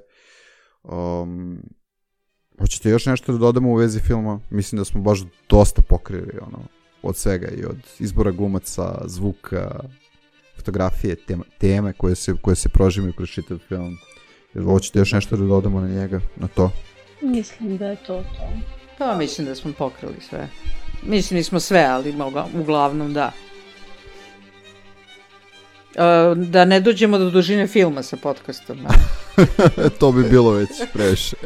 Hoćete još nešto da dodamo u vezi filma? Mislim da smo baš dosta pokrili ono, od svega i od izbora glumaca, zvuka, fotografije, teme koje se prožimaju kroz čitav film. Hoćete još nešto da dodamo na njega, na to? Mislim da je to. Pa mislim da smo pokrili sve. Mislim nismo sve, ali uglavnom da. Da ne dođemo do dužine filma sa podcastom. To bi bilo već previše.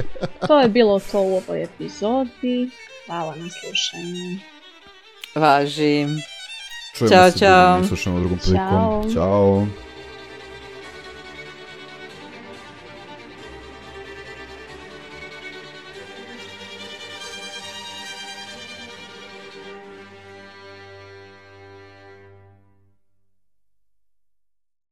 To je bilo to u ovoj epizodi. Hvala na slušanju. Važi. Čujemo se, slušamo drugom prilikom. Ćao. Ćao.